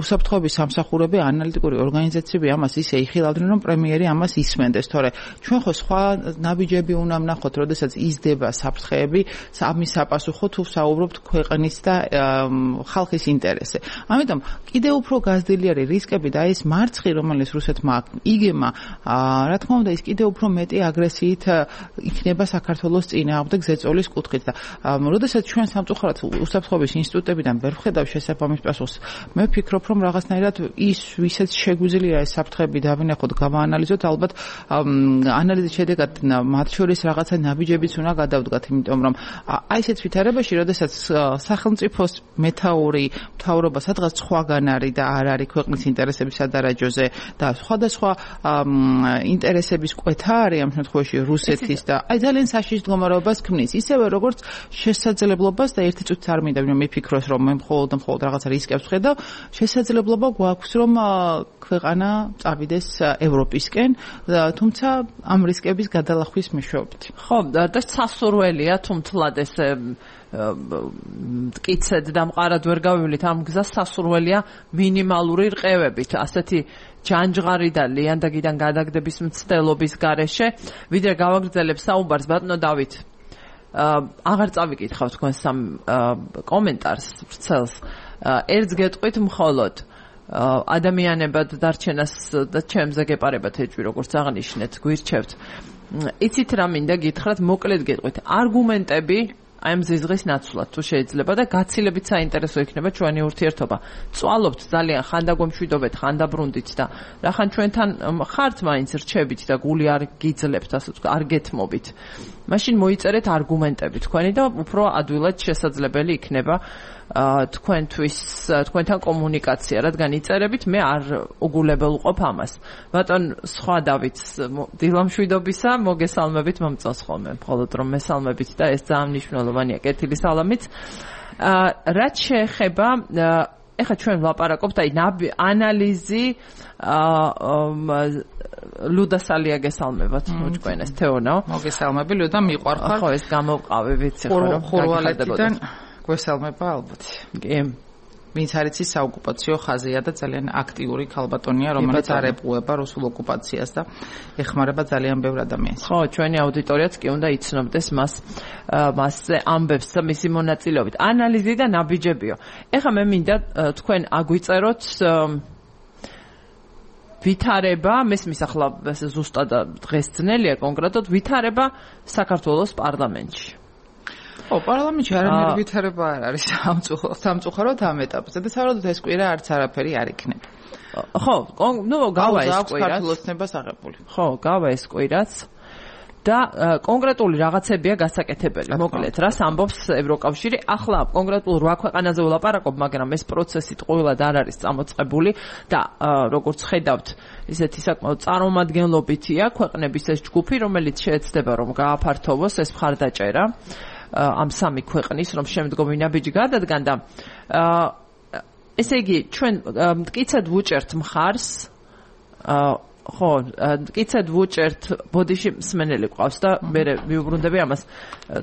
უსაფრთხოების სამსახურები, ანალიტიკური ორგანიზაციები ამას ისე იხილავდნენ, რომ პრემიერი ამას ისმენდეს, თორე ჩვენ ხო სხვა ნაბიჯები უნდა ვნახოთ, როდესაც იზრდება საფრთხეები ამის საპასუხო თუ საუბრობთ ქვეყნის და ხალხის ინტერესზე. ამიტომ კიდევ უფრო გაზრდილი არის რისკები და ეს მარცხი, რომელიც რუსეთმა იგემა, რა თქმა უნდა, ის კიდევ უფრო მეტი აგრესიით იქნება საქართველოს წინააღმდეგ ზეწოლის კუთხით და როდესაც ჩვენ სამწუხაროდ უსაფრთხოების ინსტიტუტებიდან ვერ ვხედავ შესაბამის პასუხს, მე ვფიქრობ, რომ რაღაცნაირად ის ვისაც შეგვიძლია ეს საფრთხეები დავინახოთ, გავაანალიზოთ, ალბათ ანალიზის შედეგად მათ შორის რაღაცა ნაბიჯებიც უნდა გადავდგათ, იმიტომ რომ აი ესეთ ვითარებაში, როდესაც სახელმწიფოს მეთაური მთავრობა სადღაც სხვაგან არის და არ არის ქვეყნის ინტერესების სადარაჯოზე და სხვადასხვა ინტერესების კვეთა არის ამ შემთხვევაში რუსეთის და აი ძალიან საშიშ მდგომარეობას ქმნის. ისევე როგორც შესაძლებლობას და ერთი წუთიც არ მინდა რომ მიფიქროს, რომ მე მხოლოდ რაღაცა რისკებს ვხედავ, შესაძლებლობა გვაქვს, რომ ქვეყანა წავიდეს ევროპისკენ, თუმცა ამ რისკების გადალახვის მეშვეობით. ხო, და სასურველია თუმთლად ესე მტკიცედ და მყარად ვერ გავივლით ამ გზას, სასურველია მინიმალური რყევებით, ასეთი ჯანჯღარი და ლიანდაგიდან გადაგდების მცდელობის გარეშე, ვიდრე გავაგრძელებ საუბარს, ბატონო დავით. აღარ წავიკითხავ თქვენ სამ კომენტარს ვრცელს. ერთს გეტყვით მხოლოდ ადამიანებად დარჩენას და ჩემზე გეპარებათ ეჭვი, როგორც აღნიშნეთ, გვირჩევთ. იცით რა მინდა გითხრათ, მოკლედ გეტყვით. არგუმენტები აი ამ ზიზღის ნაცვლად თუ შეიძლება და გაცილებით საინტერესო იქნება ჩვენი ურთიერთობა. წვალობთ ძალიან, ხან დაგვემშვიდობეთ, ხან დაბრუნდით და რახან ჩვენთან ხართ მაინც რჩებით და გული არ გიძლებთ, ასე ვთქვათ, არ გეთმობით. მაშინ მოიწერეთ არგუმენტები თქვენი და უფრო ადვილად შესაძლებელი იქნება თქვენთვის თქვენთან კომუნიკაცია, რადგან იწერებით მე არ უგულებელ ვყოფ ამას. ბატონ სხვა დავითს დილამშვიდობისა, მოგესალმებით მომწონს ხოლმე, მხოლოდ რომ მესალმებით და ეს ძალიან მნიშვნელოვანია. კეთილი სალამით. რაც შეეხება ეხლა ჩვენ ვლაპარაკობთ აი ანალიზი ლუდა სალია გესალმებათ მოჭკვენეს თეონო. მოგესალმები ლუდა, მიყვარხარ. ხო, ეს გამოვყავი ვიცი ხო რომ ხურვალეთიდან გვესალმება ალბათ. კი. ვინც არის ის საოკუპაციო ხაზია და ძალიან აქტიური ქალბატონია, რომელიც არ ეპყუება რუსულ ოკუპაციას და ეხმარება ძალიან ბევრ ადამიანს. ხო, ჩვენი აუდიტორიაც კი უნდა იცნობდეს მასზე ამბებს და მისი მონაწილეობით. ანალიზი და ნაბიჯებიო. ეხლა მე მინდა თქვენ აგვიწეროთ ვითარება, მესმის ახლა ზუსტად დღეს ძნელია კონკრეტულად ვითარება საქართველოს პარლამენტში. ო, პარლამენტში არამედ ვითარება არ არის სამწუხაროდ ამ ეტაპზე და საერთოდ ეს კვირა არც არაფერი არ იქნება. ხო, გავა ეს კვირა. საქართველოსნებას აღებული. ხო, გავა ეს კვირაც. და კონკრეტული რაღაცებია გასაკეთებელი. მოკლედ, რას ამბობს ევროკავშირი? ახლა კონკრეტულ 8 ქვეყანაზე ვლაპარაკობ, მაგრამ ეს პროცესი ტყუილად არ არის წამოწყებული და როგორც ხედავთ, ისეთი საკმაოდ წარმომადგენლობითია ქვეყნების ეს ჯგუფი, რომელიც შეეცდება რომ გააფართოვოს ეს მხარდაჭერა ამ სამი ქვეყნის, რომ შემდგომი ნაბიჯი გადადგან და ესე იგი, ჩვენ მტკიცედ ვუჭერთ მხარს ხო, მტკიცედ ვუჭერთ ბოდიში მსმენელი ყავს და მე მიუბრუნდები ამას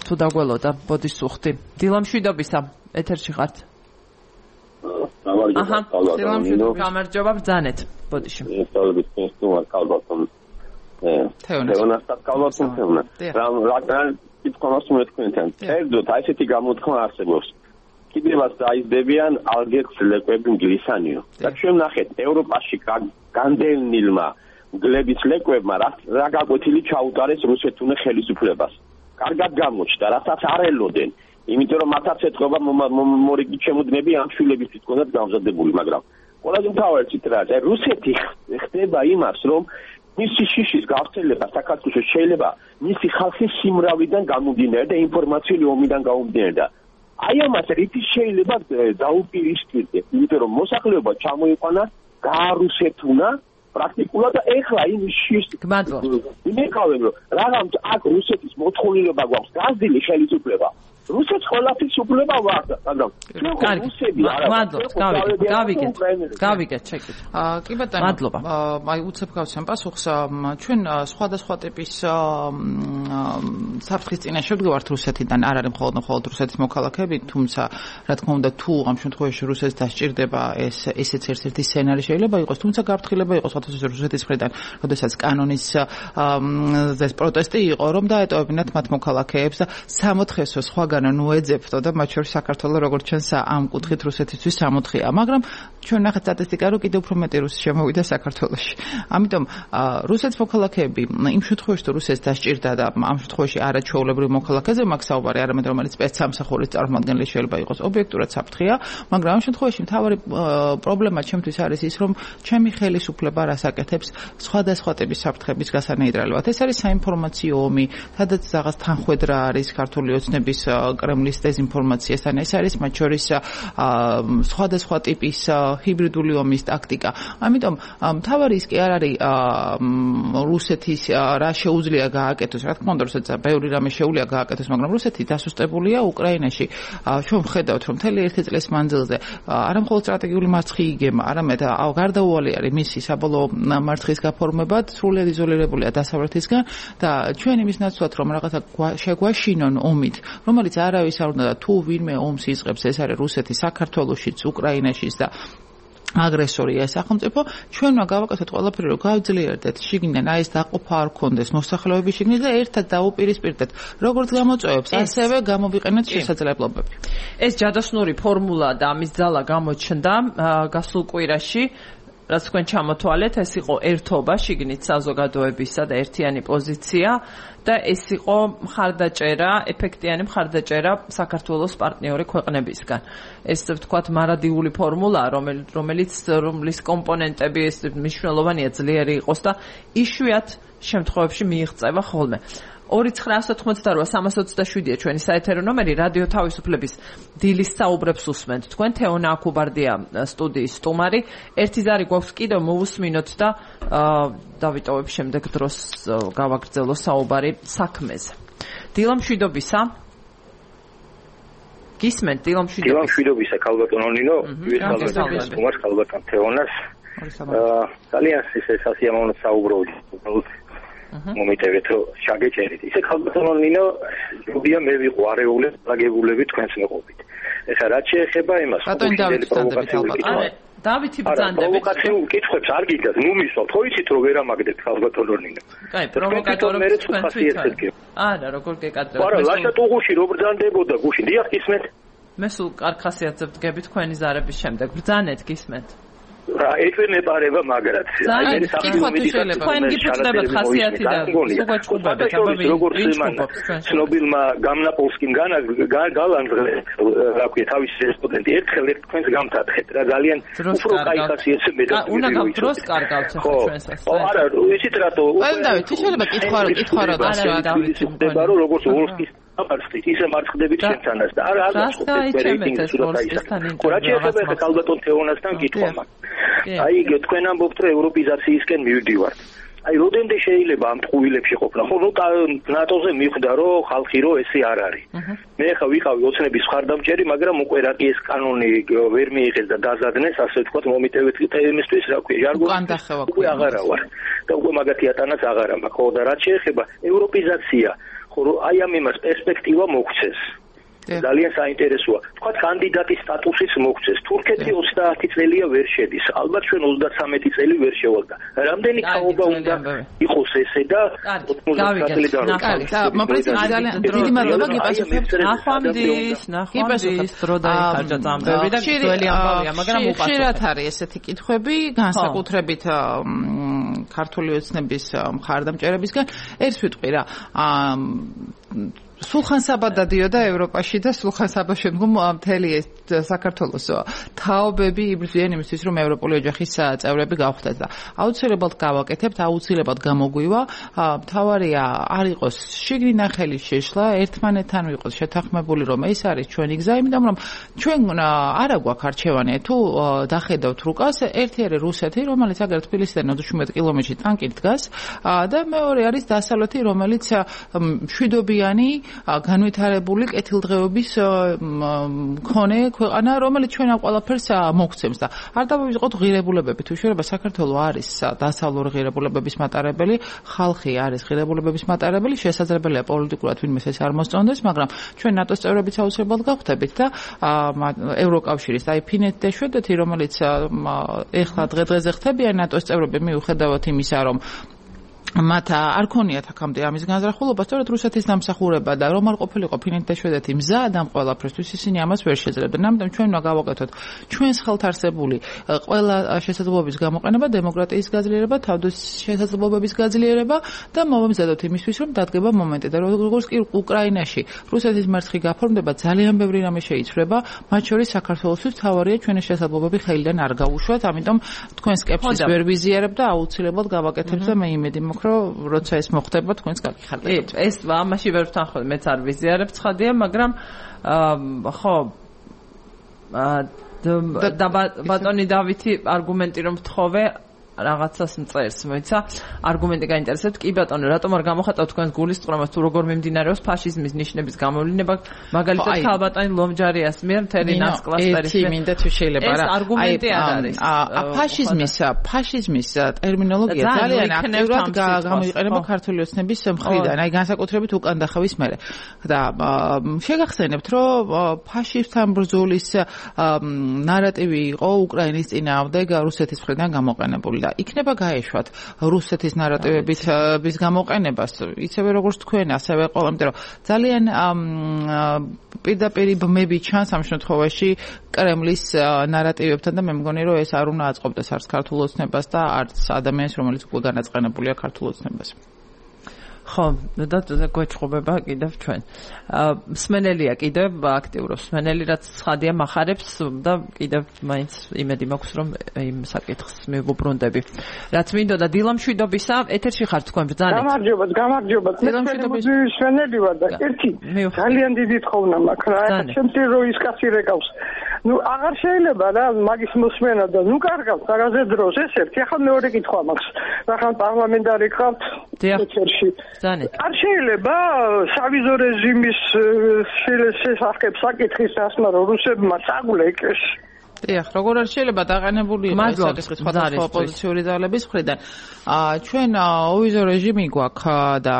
თუ დაგველოდა ბოდიშ სუხთი. დილამშვიდობისა, ეთერში ხართ? გამარჯობა, ბრძანეთ ბოდიში. ესწავლებით პინსტუმარ კალბატონ. თეონასთან კალბატონ თეონა. რა კითხავს მე თქვენთან. ერთდროულად აი ესეთი გამოთქმა არსებობს. კიდევაც დაიზრდებიან ალგერს ლეკვები ინგლისანიო. და ჩვენ ნახეთ ევროპაში განდევნილმა მგლების ლეკვებმა რა გაკვეთილი ჩაუტარეს რუსეთუნე ხელისუფლებას. კარგად გამოჩნდა, რასაც არ ელოდნენ. იმიტომ რომ მათაც ეთქობა მორიგი ჩემუდმები ამ შვილებისთვის თქონდათ გამზადებული, მაგრამ ყველაზე მთავარი ციტრაა, რუსეთი ხდება იმას, რომ მისი შიშის გავრცელება საქართველოს შეიძლება მისი ხალხის სიმრავლიდან გამომდინარე და ინფორმაციული ომიდან გამომდინარე და აი ამას რითი შეიძლება დაუპირისპირდეთ, იმიტომ რომ მოსახლეობა ჩამოიყვანა, გაარუსეთუნა პრაქტიკულად და ეხლა იმ შიშს იმეკავენ რომ რაღაც აქ რუსეთის მოთხოვნილება გვაქვს გაზრდილი ხელისუფლება რუსეთს ყველაფრის უფლება ვარდა, მაგრამ რუსები გავიგეთ, ჩეკით. კი ბატონო. მადლობა. აი უცებ გავცემ პასუხს. ჩვენ სხვადასხვა ტიპის საფრთხის წინაშე ვდგავართ რუსეთიდან, არ არის მხოლოდ რუსეთის მოქალაქეები, თუმცა რა თქმა უნდა თუ ამ შემთხვევაში რუსეთს დასჭირდება ესეც ერთ-ერთი სცენარი შეიძლება იყოს, თუმცა გაფრთხილება იყოს რუსეთის მხრიდან, როდესაც კანონის პროტესტი იყო, რომ დაეტოვებინათ მათ მოქალაქეებს და 64 სხვა ნუეძებთო და მათ შორის საქართველოს როგორც ჩვენს ამ კუთხით რუსეთისთვის 64-ია, მაგრამ ჩვენ ნახეთ სტატისტიკა, რომ კიდევ უფრო მეტი რუსი შემოვიდა საქართველოში. ამიტომ რუსეთის მოქალაქეები იმ შემთხვევაში, თუ რუსეთს დასჭირდა და ამ შემთხვევაში არაჩვეულებრივ მოქალაქეზე მაქვს საუბარი, არამედ რომელიც სპეცსამსახურის წარმომადგენელი შეიძლება იყოს, ობიექტურად საფრთხეა, მაგრამ ამ შემთხვევაში მთავარი პრობლემა ჩემთვის არის ის, რომ ჩემი ხელისუფლება რას აკეთებს სხვადასხვა ტიპის საფრთხების გასანეიტრალებლად. ეს არის საინფორმაციო ომი, სადაც რაღაც თანხwebdriver არის ქართული ოცნების კრემლის დეзинფორმაციასთან, ეს არის მათ შორის სხვადასხვა ტიპის ჰიბრიდული ომის ტაქტიკა. ამიტომ მთავარი ის კი არ არის რუსეთის რა შეუძლია გააკეთოს, რა თქმა უნდა, რუსეთს ბევრი რამე შეუძლია გააკეთოს, მაგრამ რუსეთი დასუსტებულია უკრაინაში. ჩვენ ვხედავთ, რომ მთელი ერთი წლის მანძილზე არა მხოლოდ სტრატეგიული მარცხი იგება, არამედ გარდაუვალი არის მისი საბოლოო მარცხის გაფორმება, სრულად იზოლირებულია დასავლეთისგან და ჩვენ იმის ნაცვლად, რომ რაღაცა შეგვაშინონ ომით, რომელიც არავის არ უნდა და თუ ვინმე ომს იწყებს, ეს არის რუსეთი საქართველოშიც, უკრაინაშიც და აგრესორია სახელმწიფო, ჩვენმა გავაკეთოთ ყველაფერი, რომ გავძლიერდეთ შიგნიდან აი ეს დაყოფა არ გქონდეს მოსახლეობის შიგნით და ერთად დაუპირისპირდეთ როგორც გამოწვევებს, ასევე გამოვიყენოთ შესაძლებლობები. ეს ჯადოსნური ფორმულა და ამის ძალა გამოჩნდა გასულ კვირაში. რაც თქვენ ჩამოთვალეთ, ეს იყო ერთობა შიგნით საზოგადოებისა და ერთიანი პოზიცია და ეს იყო მხარდაჭერა, ეფექტიანი მხარდაჭერა საქართველოს პარტნიორი ქვეყნებისგან. ეს ვთქვათ მარადიული ფორმულა, რომლის კომპონენტები ეს მნიშვნელოვანია ძლიერი იყოს და იშვიათ შემთხვევებში მიიღწევა ხოლმე. 2988327-ია ჩვენი საეთერო ნომერი, რადიო თავისუფლების დილის საუბრებს უსმენთ. თქვენ თეონა აქუბარდია სტუდიის სტუმარი. ერთი ზარი გვაქვს კიდევ მოვუსმინოთ და დავიტოვებ შემდეგ დროს გავაგრძელო საუბარი საქმეზე. დილამშვიდობისა. გისმენთ დილამშვიდობისა ქალბატონო ნინო, ვიხალბატონ სტუმარს, ქალბატონ თეონას. ძალიან სასიამოვნო საუბრობთ. მომიტევეთ რომ შაგეჭერით. ისე ქალბატონო ნინო, ჯობია მე ვიყო არეულე ლაგებულები თქვენს მეყობით. ეხლა რაც შეეხება იმას, დავითი ბრძანდებით. პროვოკაციულ კითხვებს არ გიგდათ, ნუ მისვავთ, ხო იცით რომ ვერ ამაგდეთ ქალბატონო ნინო. კაი, პროვოკატორებს თქვენ თვითონ. არა, როგორ გეკადრებთ? არა, ლაშა ტუღუში რო ბრძანდებოდა გუში, დიახ გისმენთ. მე სულ კარგ ხასიათზე ვდგები თქვენი ზარების შემდეგ. ბრძანეთ, გისმენთ. რა ეთვენებარება მაგრად. თქვენ გიფუძნებათ ხასიათი და სუგაჩუბებთ, როგორც იმანა ცნობილმა გამნაპოლსკიმ გალანძღლე, რა ქვია, თავის სტუდენტი ერთხელ თქვენს გამთათხეთ რა ძალიან უფრო კაი ხასიათზე მე და უნდა გავს კარგავთ ჩვენს ასე. არა, იცით რატო? დავით, შეიძლება კითხვა რა დავით, ხდება რომ როგორც ვოლსკის ამარხით ისე მარცხდებით შენთანაც და არა გასწავლეთ ვოლსკისთან ინტერვიუ. რა შეიძლება ხე ქალბატონ თეონასთან კითხვა მაგ. აი თქვენ ამბობთ რომ ევროპიზაციისკენ მივდივართ. აი როდენდე შეიძლება ამ ტყუილებში ყოფნა? ხო, ნატოზე მიხვდა რომ ხალხი რო ესე არ არის. მე ხა ვიყავი ოცნების მხარდამჭერი, მაგრამ უკვე რა კი ეს კანონი ვერ მიიღეს და დაზადნეს, ასე ვთქვათ, მომიტევეთ თემისთვის, რა ქვია, ჟარგონი. უკვე აღარა ვარ. და უკვე მაგათი ატანაც აღარა მაქვს. ხო, და რაც შეეხება ევროპიზაცია, ხო, აი ამ იმას პერსპექტივა მოგვცეს. ძალიან საინტერესოა. თქვა კანდიდატის სტატუსის მოგვცეს. თურქეთი 30 წელია ვერ შედის. ალბათ ჩვენ 33 წელი ვერ შევალდა. რამდენი ხაობა უნდა იყოს ესე და 90 წელი და პრეზიდენტი ძალიან დიდი მადლობა გიპასუხებთ. ნახვამდის დრო დაიხარჯა ძამბები და ძველი ამბავია, მაგრამ უპასუხეთ. ხშირად არის ესეთი კითხვები, განსაკუთრებით ქართული ოცნების მხარდამჭერებისგან. ერთ ვიტყვი რა, სულხან საბა დადიოდა ევროპაში და სულხან საბა შემდგომ მთელი საქართველოს თაობები იბრძვიან იმისთვის, რომ ევროპული ოჯახის წევრები გავხდეთ და აუცილებლად გავაკეთებთ, აუცილებლად გამოგვივა. მთავარია არ იყოს შიგნინახელი შეშლა, ერთმანეთთან ვიყოს შეთანხმებული, რომ ეს არის ჩვენი გზა, იმიტომ რომ ჩვენ არა გვაქვს არჩევანი, თუ დახედავთ რუკას, ერთი არის რუსეთი, რომელიც აგერ თბილისიდან 27 კილომეტრში ტანკით დგას და მეორე არის დასავლეთი, რომელიც მშვიდობიანი განვითარებული კეთილდღეობის მქონე ქვეყანა, რომელიც ჩვენ ამ ყველაფერს მოგცემს და არ დავივიწყოთ ღირებულებები. თუ შეიძლება საქართველოს არის დასავლური ღირებულებების მატარებელი, ხალხი არის ღირებულებების მატარებელი, შესაძლებელია პოლიტიკურად ვინმეს ეს არ მოსწონდეს, მაგრამ ჩვენ ნატოს წევრებიც აუცილებლად გავხდებით და ევროკავშირის აი ფინეთი და შვედეთი, რომელიც ეხლა დღე-დღეზე ხდებიან ნატოს წევრები, მიუხედავად იმისა, რომ მათ არ ქონიათ აქამდე ამის განზრახულობა, სწორედ რუსეთის დამსახურება და რომ არ ყოფილიყო ფინეთი და შვედეთი მზად ამ ყველაფრისთვის, ისინი ამას ვერ შეძლებდნენ. ამიტომ ჩვენ უნდა გავაკეთოთ ჩვენს ხელთ არსებული ყველა შესაძლებლობის გამოყენება, დემოკრატიის გაძლიერება, თავდასხმების გაძლიერება და მოვამზადოთ იმისთვის, რომ დადგება მომენტი და როგორც კი უკრაინაში რუსეთის მერცხი გაფორმდება, ძალიან ბევრი რამე შეიცვლება, მათ შორის საქართველოსთვის თავარია ჩვენი შესაძლებლობები ხელიდან არ გაუშვათ, ამიტომ თქვენ სკეპსის ვერ ვიზიარებ და აუცილებლად გავაკეთებ და მე იმედი მაქვს, როცა ეს მოხდება თქვენს გაგიხარდებათ. ეს ამაში ვერ ვთანხმობ, მეც არ ვიზიარებ ცხადია, მაგრამ ხო და ბატონი დავითი არგუმენტი რომ ვთხოვე რაღაცას მწერს, მოიცა არგუმენტი გაინტერესებთ. კი ბატონო, რატომ არ გამოხატავთ თქვენს გულისწყრომას თუ როგორ მიმდინარეობს ფაშიზმის ნიშნების გამოვლინება, მაგალითად ქალბატონი ლომჯარიას მიერ მთელი ნასკლასტერის ერთი მინდა თუ შეიძლება რა. ეს არგუმენტი არ არის. ფაშიზმის ტერმინოლოგია ძალიან აქტიურად გამოიყენება ქართული ოცნების მხრიდან, აი განსაკუთრებით უკანდახევის მერე. და შეგახსენებთ, რომ ფაშისტთან ბრძოლის ნარატივი იყო უკრაინის წინააღმდეგ რუსეთის მხრიდან გამოყენებული. იქნება გაეშვათ რუსეთის ნარატივების გამოყენებას, ისევე როგორც თქვენ, ასევე ყველა, იმიტომ რომ ძალიან პირდაპირ ბმები ჩანს ამ შემთხვევაში კრემლის ნარატივებთან და მე მგონი, რომ ეს არ უნდა აწყობდეს არც ქართულ ოცნებას და არც ადამიანს, რომელიც უკვე განაწყენებულია ქართულ ოცნებას. ხო, და გვეჭყობება კიდევ ჩვენ. მსმენელია კიდევ აქტიურობს. მსმენელი რაც ცხადია მახარებს და კიდევ მაინც იმედი მაქვს, რომ იმ საკითხს მივუბრუნდები. რაც მინდოდა დილამშვიდობისა, ეთერში ხართ თქვენ ბრძანეთ. გამარჯობა. მსმენელი ვარ და ერთი ძალიან დიდი თხოვნა მაქვს რა. ჩემთვის რო ის კაცი რეკავს. აღარ შეიძლება რა მაგის მოსმენა და კარგავს რაღაცე დროს ეს ერთი. ახლა მეორე კითხვა მაქვს. ახლა პარლამენტარი ხართ ეთერში. არ შეიძლება სავიზო რეჟიმის შესახებ საკითხის დასმა რუსებმა წაგულეკეს. დიახ, როგორ არ შეიძლება დაყენებული იყოს საკითხი სხვადასხვა ოპოზიციური ძალების მხრიდან. ჩვენ ვიზო რეჟიმი გვაქვს და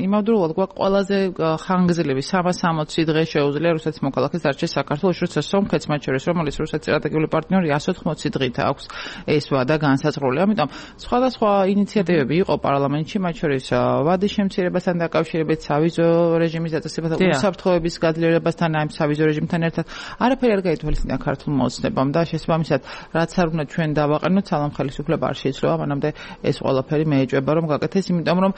იმავდროულად გვაქვს ყველაზე ხანგრძლივი 360 დღე შეუძლია რუსეთის მოქალაქეს დარჩეს საქართველოს, როცა სომხეთს მათ შორის, რომელიც რუსეთის სტრატეგიული პარტნიორი 180 დღით აქვს ეს ვადა განსაზღვრული. ამიტომ სხვადასხვა ინიციატივები იყო პარლამენტში, მათ შორის ვადის შემცირებასთან დაკავშირებით, სავიზო რეჟიმის დაწესება და უსაფრთხოების გაძლიერებასთან, ამ სავიზო რეჟიმთან ერთად არაფერი არ გაითვალისწინა ქართულ მოძნებამ და შესაბამისად, რაც არ უნდა ჩვენ დავაყენოთ, სალამ ხელისუფლება არ შეიცვლება, მანამდე ეს ყველაფერი მეეჭვება რომ გაკეთდეს, იმიტომ რომ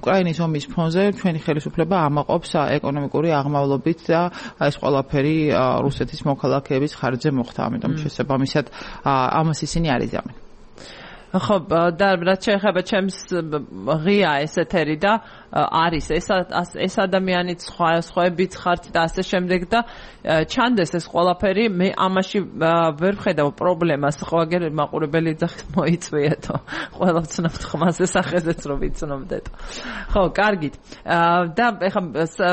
უკრაინის ომის ფონზე ჩვენი ხელისუფლება ამაყობს ეკონომიკური აღმავლობით და ეს ყველაფერი რუსეთის მოქალაქეების ხარჯზე მოხდა, ამიტომ შესაბამისად ამას ისინი არ იზამენ. ხო, და რაც შეეხება ჩემს ღია ეს ეთერი და არის ეს ადამიანიც სხვაებიც ხართ და ასე შემდეგ და ჩანდეს ეს ყველაფერი, მე ამაში ვერ ვხედავ პრობლემას, ხო აგერ მაყურებელი ეძახის მოიწვიეთო. ყველა ვცნობთ ხმაზე სახეზეც რომ ვიცნობდეთ. ხო, კარგით. და ეხლა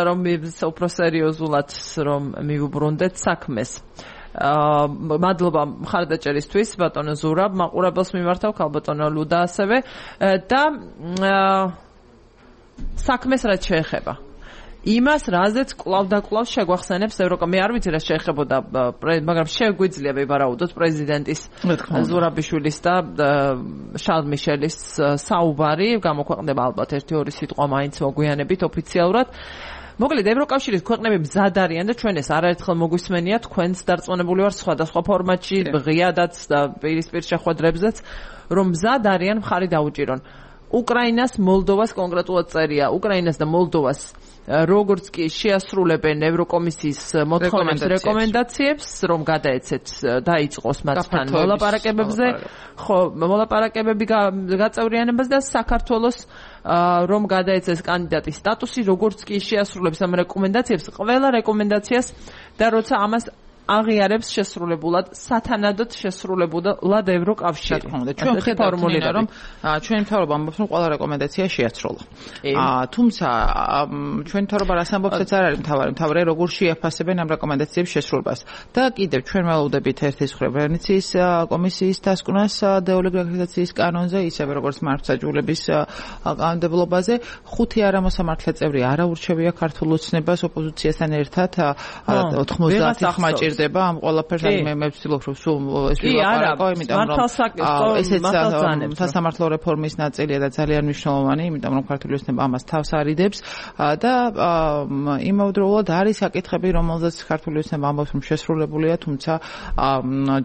რომ უფრო სერიოზულად რომ მივუბრუნდეთ საქმეს. მადლობა მხარდაჭერისთვის ბატონო ზურაბ, მაყურებელს მიმართავ ქალბატონო ლუდა ასევე და საქმეს რაც შეეხება იმას, რაზეც კლავ და კლავ შეგვახსენებს ევროკა. მე არ ვიცი რა შეეხებოდა, მაგრამ შეგვიძლია ვივარაუდოთ პრეზიდენტის ზურაბიშვილის და შარლ მიშელის საუბარი, გამოქვეყნდება ალბათ 1-2 სიტყვა მაინც მოგვიანებით ოფიციალურად. მოკლედ ევროკავშირის ქვეყნები მზად არიან და ჩვენ ეს არაერთხელ მოგვისმენია, თქვენც დარწმუნებული ვარ სხვადასხვა ფორმატში, ღიადაც და პირისპირ შეხვედრებზეც, რომ მზად არიან მხარი დაუჭირონ. უკრაინას, მოლდოვას კონკრეტულად წერია. უკრაინას და მოლდოვას როგორც კი შეასრულებენ ევროკომისიის მოთხოვნებს რეკომენდაციებს, რომ გადაეცეთ დაიწყოს მათთან მოლაპარაკებებზე, ხო, მოლაპარაკებები გაწევრიანებას და საქართველოს რომ გადაეცეს კანდიდატის სტატუსი, როგორც კი შეასრულებს ამ რეკომენდაციებს, ყველა რეკომენდაციას და როცა ამას აღიარებს შესრულებულად, სათანადოდ შესრულებულად ევროკავშირი. ჩვენ ხედავთ რომ ჩვენი მთავრობა ამბობს რომ ყველა რეკომენდაცია შეაცროლა. თუმცა ჩვენი მთავრობა რას ამბობსაც არ არის მთავარი როგორ შეაფასებენ ამ რეკომენდაციების შესრულებას. და კიდევ ჩვენ ველოდებით ერთის მხრივ ვენეციის კომისიის დასკვნას დეოლეგალიზაციის კანონზე, ისევე როგორც მართლმსაჯულების კანონმდებლობაზე, 5 არამოსამართლე წევრი არ აურჩევია ქართულ ოცნებას ოპოზიციასთან ერთად 90 ხმა ჭირდება ამ ყველაფერს მე ვცდილობ რომ სულ ეს ვილაპარაკო, იმიტომ რომ ესეც სასამართლო რეფორმის ნაწილია და ძალიან მნიშვნელოვანი, იმიტომ რომ ქართული ოცნება ამას თავს არიდებს და იმავდროულად არის საკითხები, რომელზეც ქართული ოცნება ამბობს რომ შესრულებულია, თუმცა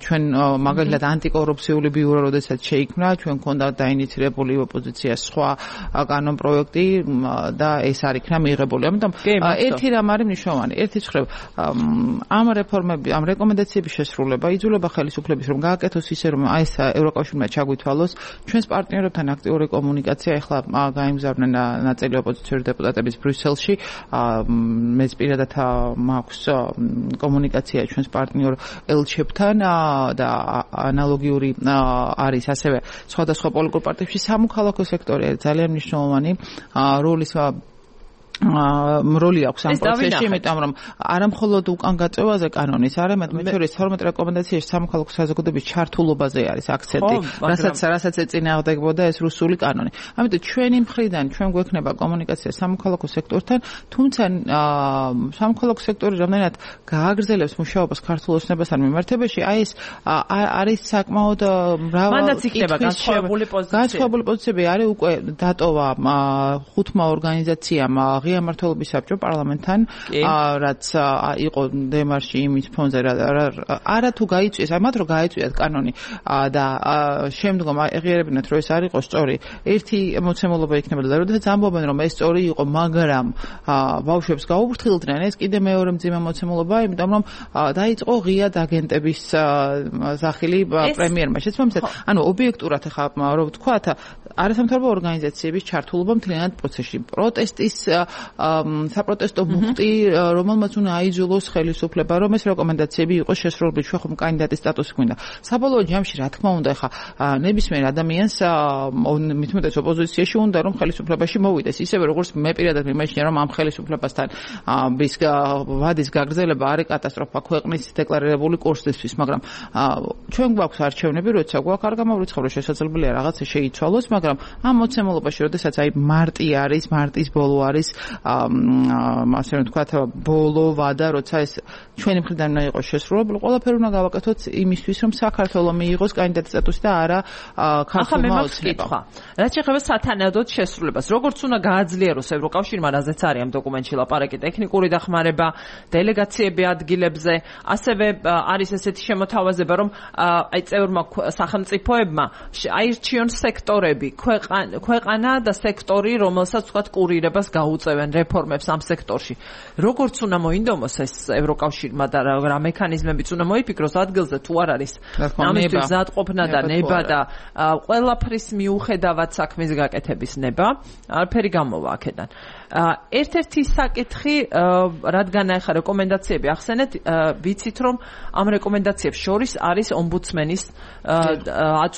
ჩვენ მაგალითად ანტიკორუფციული ბიურო როდესაც შეიქმნა, ჩვენ გქონდა დაინიცირებული ოპოზიციას სხვა კანონ პროექტი და ეს არ იქნა მიღებული. ამიტომ ერთი რამ არის მნიშვნელოვანი, ერთის მხრივ ამ რეფორმები, ამ რეკომენდაციების შესრულება იძლევა ხელისუფლების რომ გააკეთოს ისე რომ ეს ევროკავშირმა ჩაგვითვალოს ჩვენს პარტნიორებთან აქტიური კომუნიკაცია. ეხლა გაიმგზავრნენ ნაწილი ოპოზიციური დეპუტატების ბრიუსელში, მეც პირადად მაქვს კომუნიკაცია ჩვენს პარტნიორ ელჩებთან და ანალოგიური არის ასევე სხვადასხვა პოლიტიკურ პარტიებში. სამოქალაქო სექტორი არის ძალიან მნიშვნელოვანი როლი აქვს ამ პროცესში, იმიტომ რომ არა მხოლოდ უკან გაწევაზე კანონის, არამედ მე შორის 12 რეკომენდაციაში სამოქალაქო საზოგადოების ჩართულობაზე არის აქცენტი, რასაც ეწინააღმდეგებოდა ეს რუსული კანონი. ამიტომ ჩვენი მხრიდან ჩვენ გვექნება კომუნიკაცია სამოქალაქო სექტორთან, თუმცა სამოქალაქო სექტორი რამდენად გააგრძელებს მუშაობას ქართულ ოცნებასთან მიმართებაში, ეს არის საკმაოდ მრავალი მანდაც იქნება განსხვავებული პოზიციები. არის უკვე დატოვა 5 ორგანიზაციამ ღია მმართველობის საბჭო პარლამენტთან, რაც იყო დემარში იმის ფონზე, არა თუ გაიწვიეს, მათ რომ გაიწვიათ კანონი და შემდგომ აღიარებინათ, რომ ეს არ იყო სწორი. ერთი მოცემულობა იქნებოდა და როდესაც ამბობენ, რომ ეს სწორი იყო, მაგრამ ბავშვებს გაუფრთხილდნენ, ეს კიდე მეორე მძიმე მოცემულობა, იმიტომ რომ დაიწყო ღია დაგენტების სახელი პრემიერმა. შეცდომისად, ანუ ობიექტურად ხა რომ ვთქვათ, არასამთავრობო ორგანიზაციების ჩართულობა მთლიანად პროცესში. პროტესტის საპროტესტო მუხტი, რომელმაც უნდა აიძულოს ხელისუფლება, რომ ეს რეკომენდაციები იყოს შესრულებული, ჩვენ ხომ კანდიდატის სტატუსი გვინდა. საბოლოო ჯამში, რა თქმა უნდა, ხა ნებისმიერ ადამიანს მithumetes ოპოზიციაში უნდა რომ ხელისუფლებაში მოვიდეს. ისევე როგორც მე პირადად მიმაჩნია, რომ ამ ხელისუფლებასთან ვადის გაგრძელება არის კატასტროფა ქვეყნის დეკლარირებული კურსისთვის, მაგრამ ჩვენ გვაქვს არჩევნები, როცა გვაქვს არ გამოვრიცხავრო, შესაძლებელია რაღაცა შეიცვალოს, მაგრამ ამ მოცემულობაში, როდესაც მარტი არის, მარტის ბოლო არის, ასე ვთქვათ, ბოლო ვადა, როცა ეს ჩვენი მხრიდან უნდა იყოს შესრულებული, ყველაფერი უნდა გავაკეთოთ იმისთვის, რომ საქართველოს მიიღოს კანდიდატის სტატუსი და არა ქართულმა ოცნებამ. რაც შეეხება სათანადოდ შესრულებას, როგორც უნდა გააძლიეროს ევროკავშირმა, რაზეც არის ამ დოკუმენტში ლაპარაკი, ტექნიკური დახმარება, დელეგაციები ადგილებზე, ასევე არის ესეთი შემოთავაზება, რომ წევრმა სახელმწიფოებმა აირჩიონ სექტორები, ქვეყანა და სექტორი, რომელსაც ვთქვათ კურირებას გაუწევენ რეფორმებს ამ სექტორში. როგორც უნდა მოინდომოს ეს ევროკავშირმა და რა მექანიზმებიც უნდა მოიფიქროს ადგილზე თუ არ არის ამისთვის მზადყოფნა და ნება და ყველაფრის მიუხედავად საქმის გაკეთების ნება, არაფერი გამოვა აქედან. ერთ-ერთი საკითხი, რადგან ახლა რეკომენდაციები ახსენეთ, ვიცით რომ ამ რეკომენდაციებს შორის არის ომბუდსმენის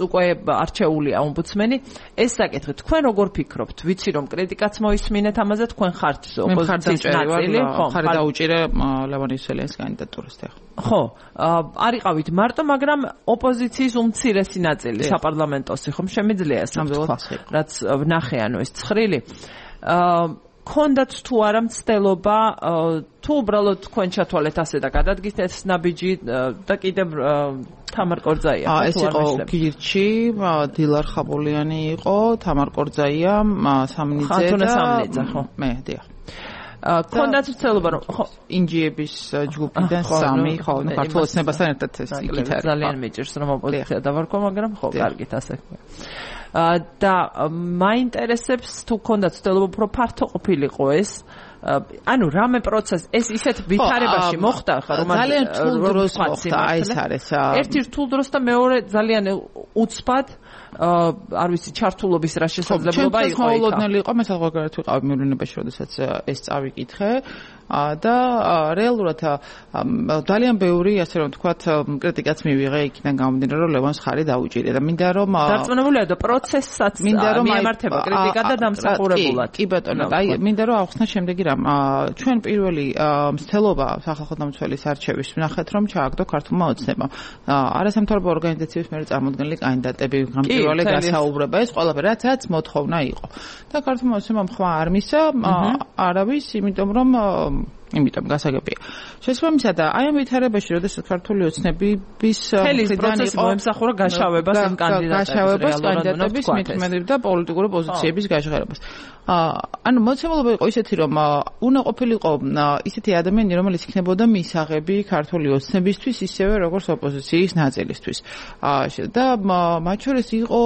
უკვე არჩეულია ომბუდსმენი. ეს საკითხი თქვენ როგორ ფიქრობთ? ვიცი რომ კრიტიკაც მოისმინეთ ამაზე, თქვენ ხართ ოპოზიციის ნაწილი, ხო, ხარ დაუჭირე ლევან ისველიანის კანდიდატურასთან. ხო, არიყავით მარტო, მაგრამ ოპოზიციის უმცირესი ნაწილი საპარლამენტოსი, ხომ შემიძლია ეს თქვა, რაც ვნახე, ანუ ეს ცხრილი. ქონდათ თუ არა მცდელობა თუ უბრალოდ თქვენ ჩათვალეთ ასე და გადადგით ეს ნაბიჯი და კიდევ თამარ კორძაია ეს იყო გირჩი, დილარ ხაბულიანი იყო, თამარ კორძაია, სამნიძე და ხო მე დიახ. ქონდათ მცდელობა რომ ხო ინჯიების ჯგუფიდან 3 ხო ქართულ ოცნებასთან ერთად ეს იქით არის. ძალიან მიჭირს რომ ოპოზიცია დავარქვა, მაგრამ ხო კარგით ასე. და მაინტერესებს თუ ქონდათ ცდილობა უფრო ფართო ყოფილიყო ეს ანუ რამე პროცესი ეს ისეთ ვითარებაში მოხდა ხა რომ ძალიან რთულ დროს მოხდა აი ეს არის ერთი რთულ დროს და მეორე ძალიან უცბად არ ვიცი ჩართულობის რა შესაძლებლობა იყო იქ. მოულოდნელი იყო, მე საზღვარგარეთ ვიყავი მიურინებაში, როდესაც ეს წავიკითხე და რეალურად ძალიან ბევრი ასე რომ ვთქვათ კრიტიკაც მივიღე იქიდან გამომდინარე რომ ლევანს ხარი დაუჭირე და მინდა რომ დარწმუნებულია და პროცესსაც მიემართება კრიტიკა და დამსახურებულად. კი ბატონო, აი მინდა რომ ავხსნა შემდეგი რამ. ჩვენ პირველი მცდელობა სახალხო დამცველის არჩევის ვნახეთ რომ ჩააგდო ქართულმა ოცნებამ. არასამთავრობო ორგანიზაციების მიერ წარმოქმნილი კანდიდატები გამჭვირვალე გასაუბრება ეს ყველაფერი რაც მოთხოვნა იყო. და ქართულმა ოცნებამ ხმა არ მისცა არავის იმიტომ რომ იმიტომ გასაგებია. შესაბამისად აი ამ ვითარებაში, როდესაც ქართული ოცნების მხრიდან იყო მოემსახურა გაშავებას ამ კანდიდატების მithmetiv და პოლიტიკური პოზიციების გაჟღერებას. ანუ მოცემულობა იყო ისეთი, რომ უნდა ყოფილიყო ისეთი ადამიანები, რომელიც იქნებოდა მისაღები ქართული ოცნებისთვის, ისევე როგორც ოპოზიციის ნაწილისთვის. და მათ შორის იყო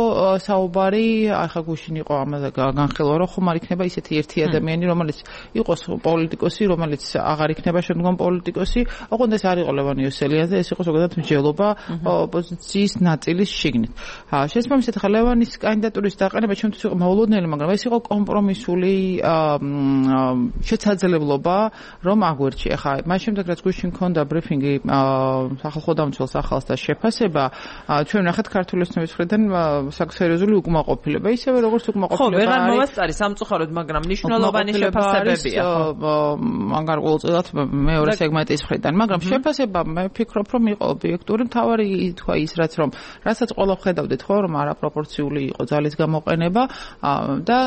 საუბარი, ახლა გუშინ იყო ამაზე განხილვა, რომ ხომ არ იქნება ისეთი ერთი ადამიანი, რომელიც იყოს პოლიტიკოსი, რომელიც აღარ იქნება შემდგომ პოლიტიკოსი, ოღონდ ეს არ იყო ლევან იოსელიანზე, ეს იყო ზოგადად მსჯელობა ოპოზიციის ნაწილის შიგნით. შესაბამისად, ხა ლევანის კანდიდატურის დაყენება ჩემთვის იყო მოულოდნელი, მაგრამ ეს იყო კომპრომისული შესაძლებლობა, რომ აგვერჩია. ხა მას შემდეგ რაც გუშინ მქონდა ბრიფინგი სახალხო დამცველს ახალს და შეფასება, ჩვენ ნახეთ ქართული ოცნების მხრიდან სერიოზული უკმაყოფილება, ისევე როგორც უკმაყოფილება არის. ხო, ვეღარ მოვასწარი სამწუხაროდ, მაგრამ მნიშვნელოვანი შეფასებებია. მაგარ ყოველწილად მეორე სეგმენტის მხრიდან, მაგრამ შეფასება მე ვფიქრობ, რომ იყო ობიექტური, მთავარი თქვა ის რასაც ყველა ხედავდით, ხო, რომ არაპროპორციული იყო ძალის გამოყენება და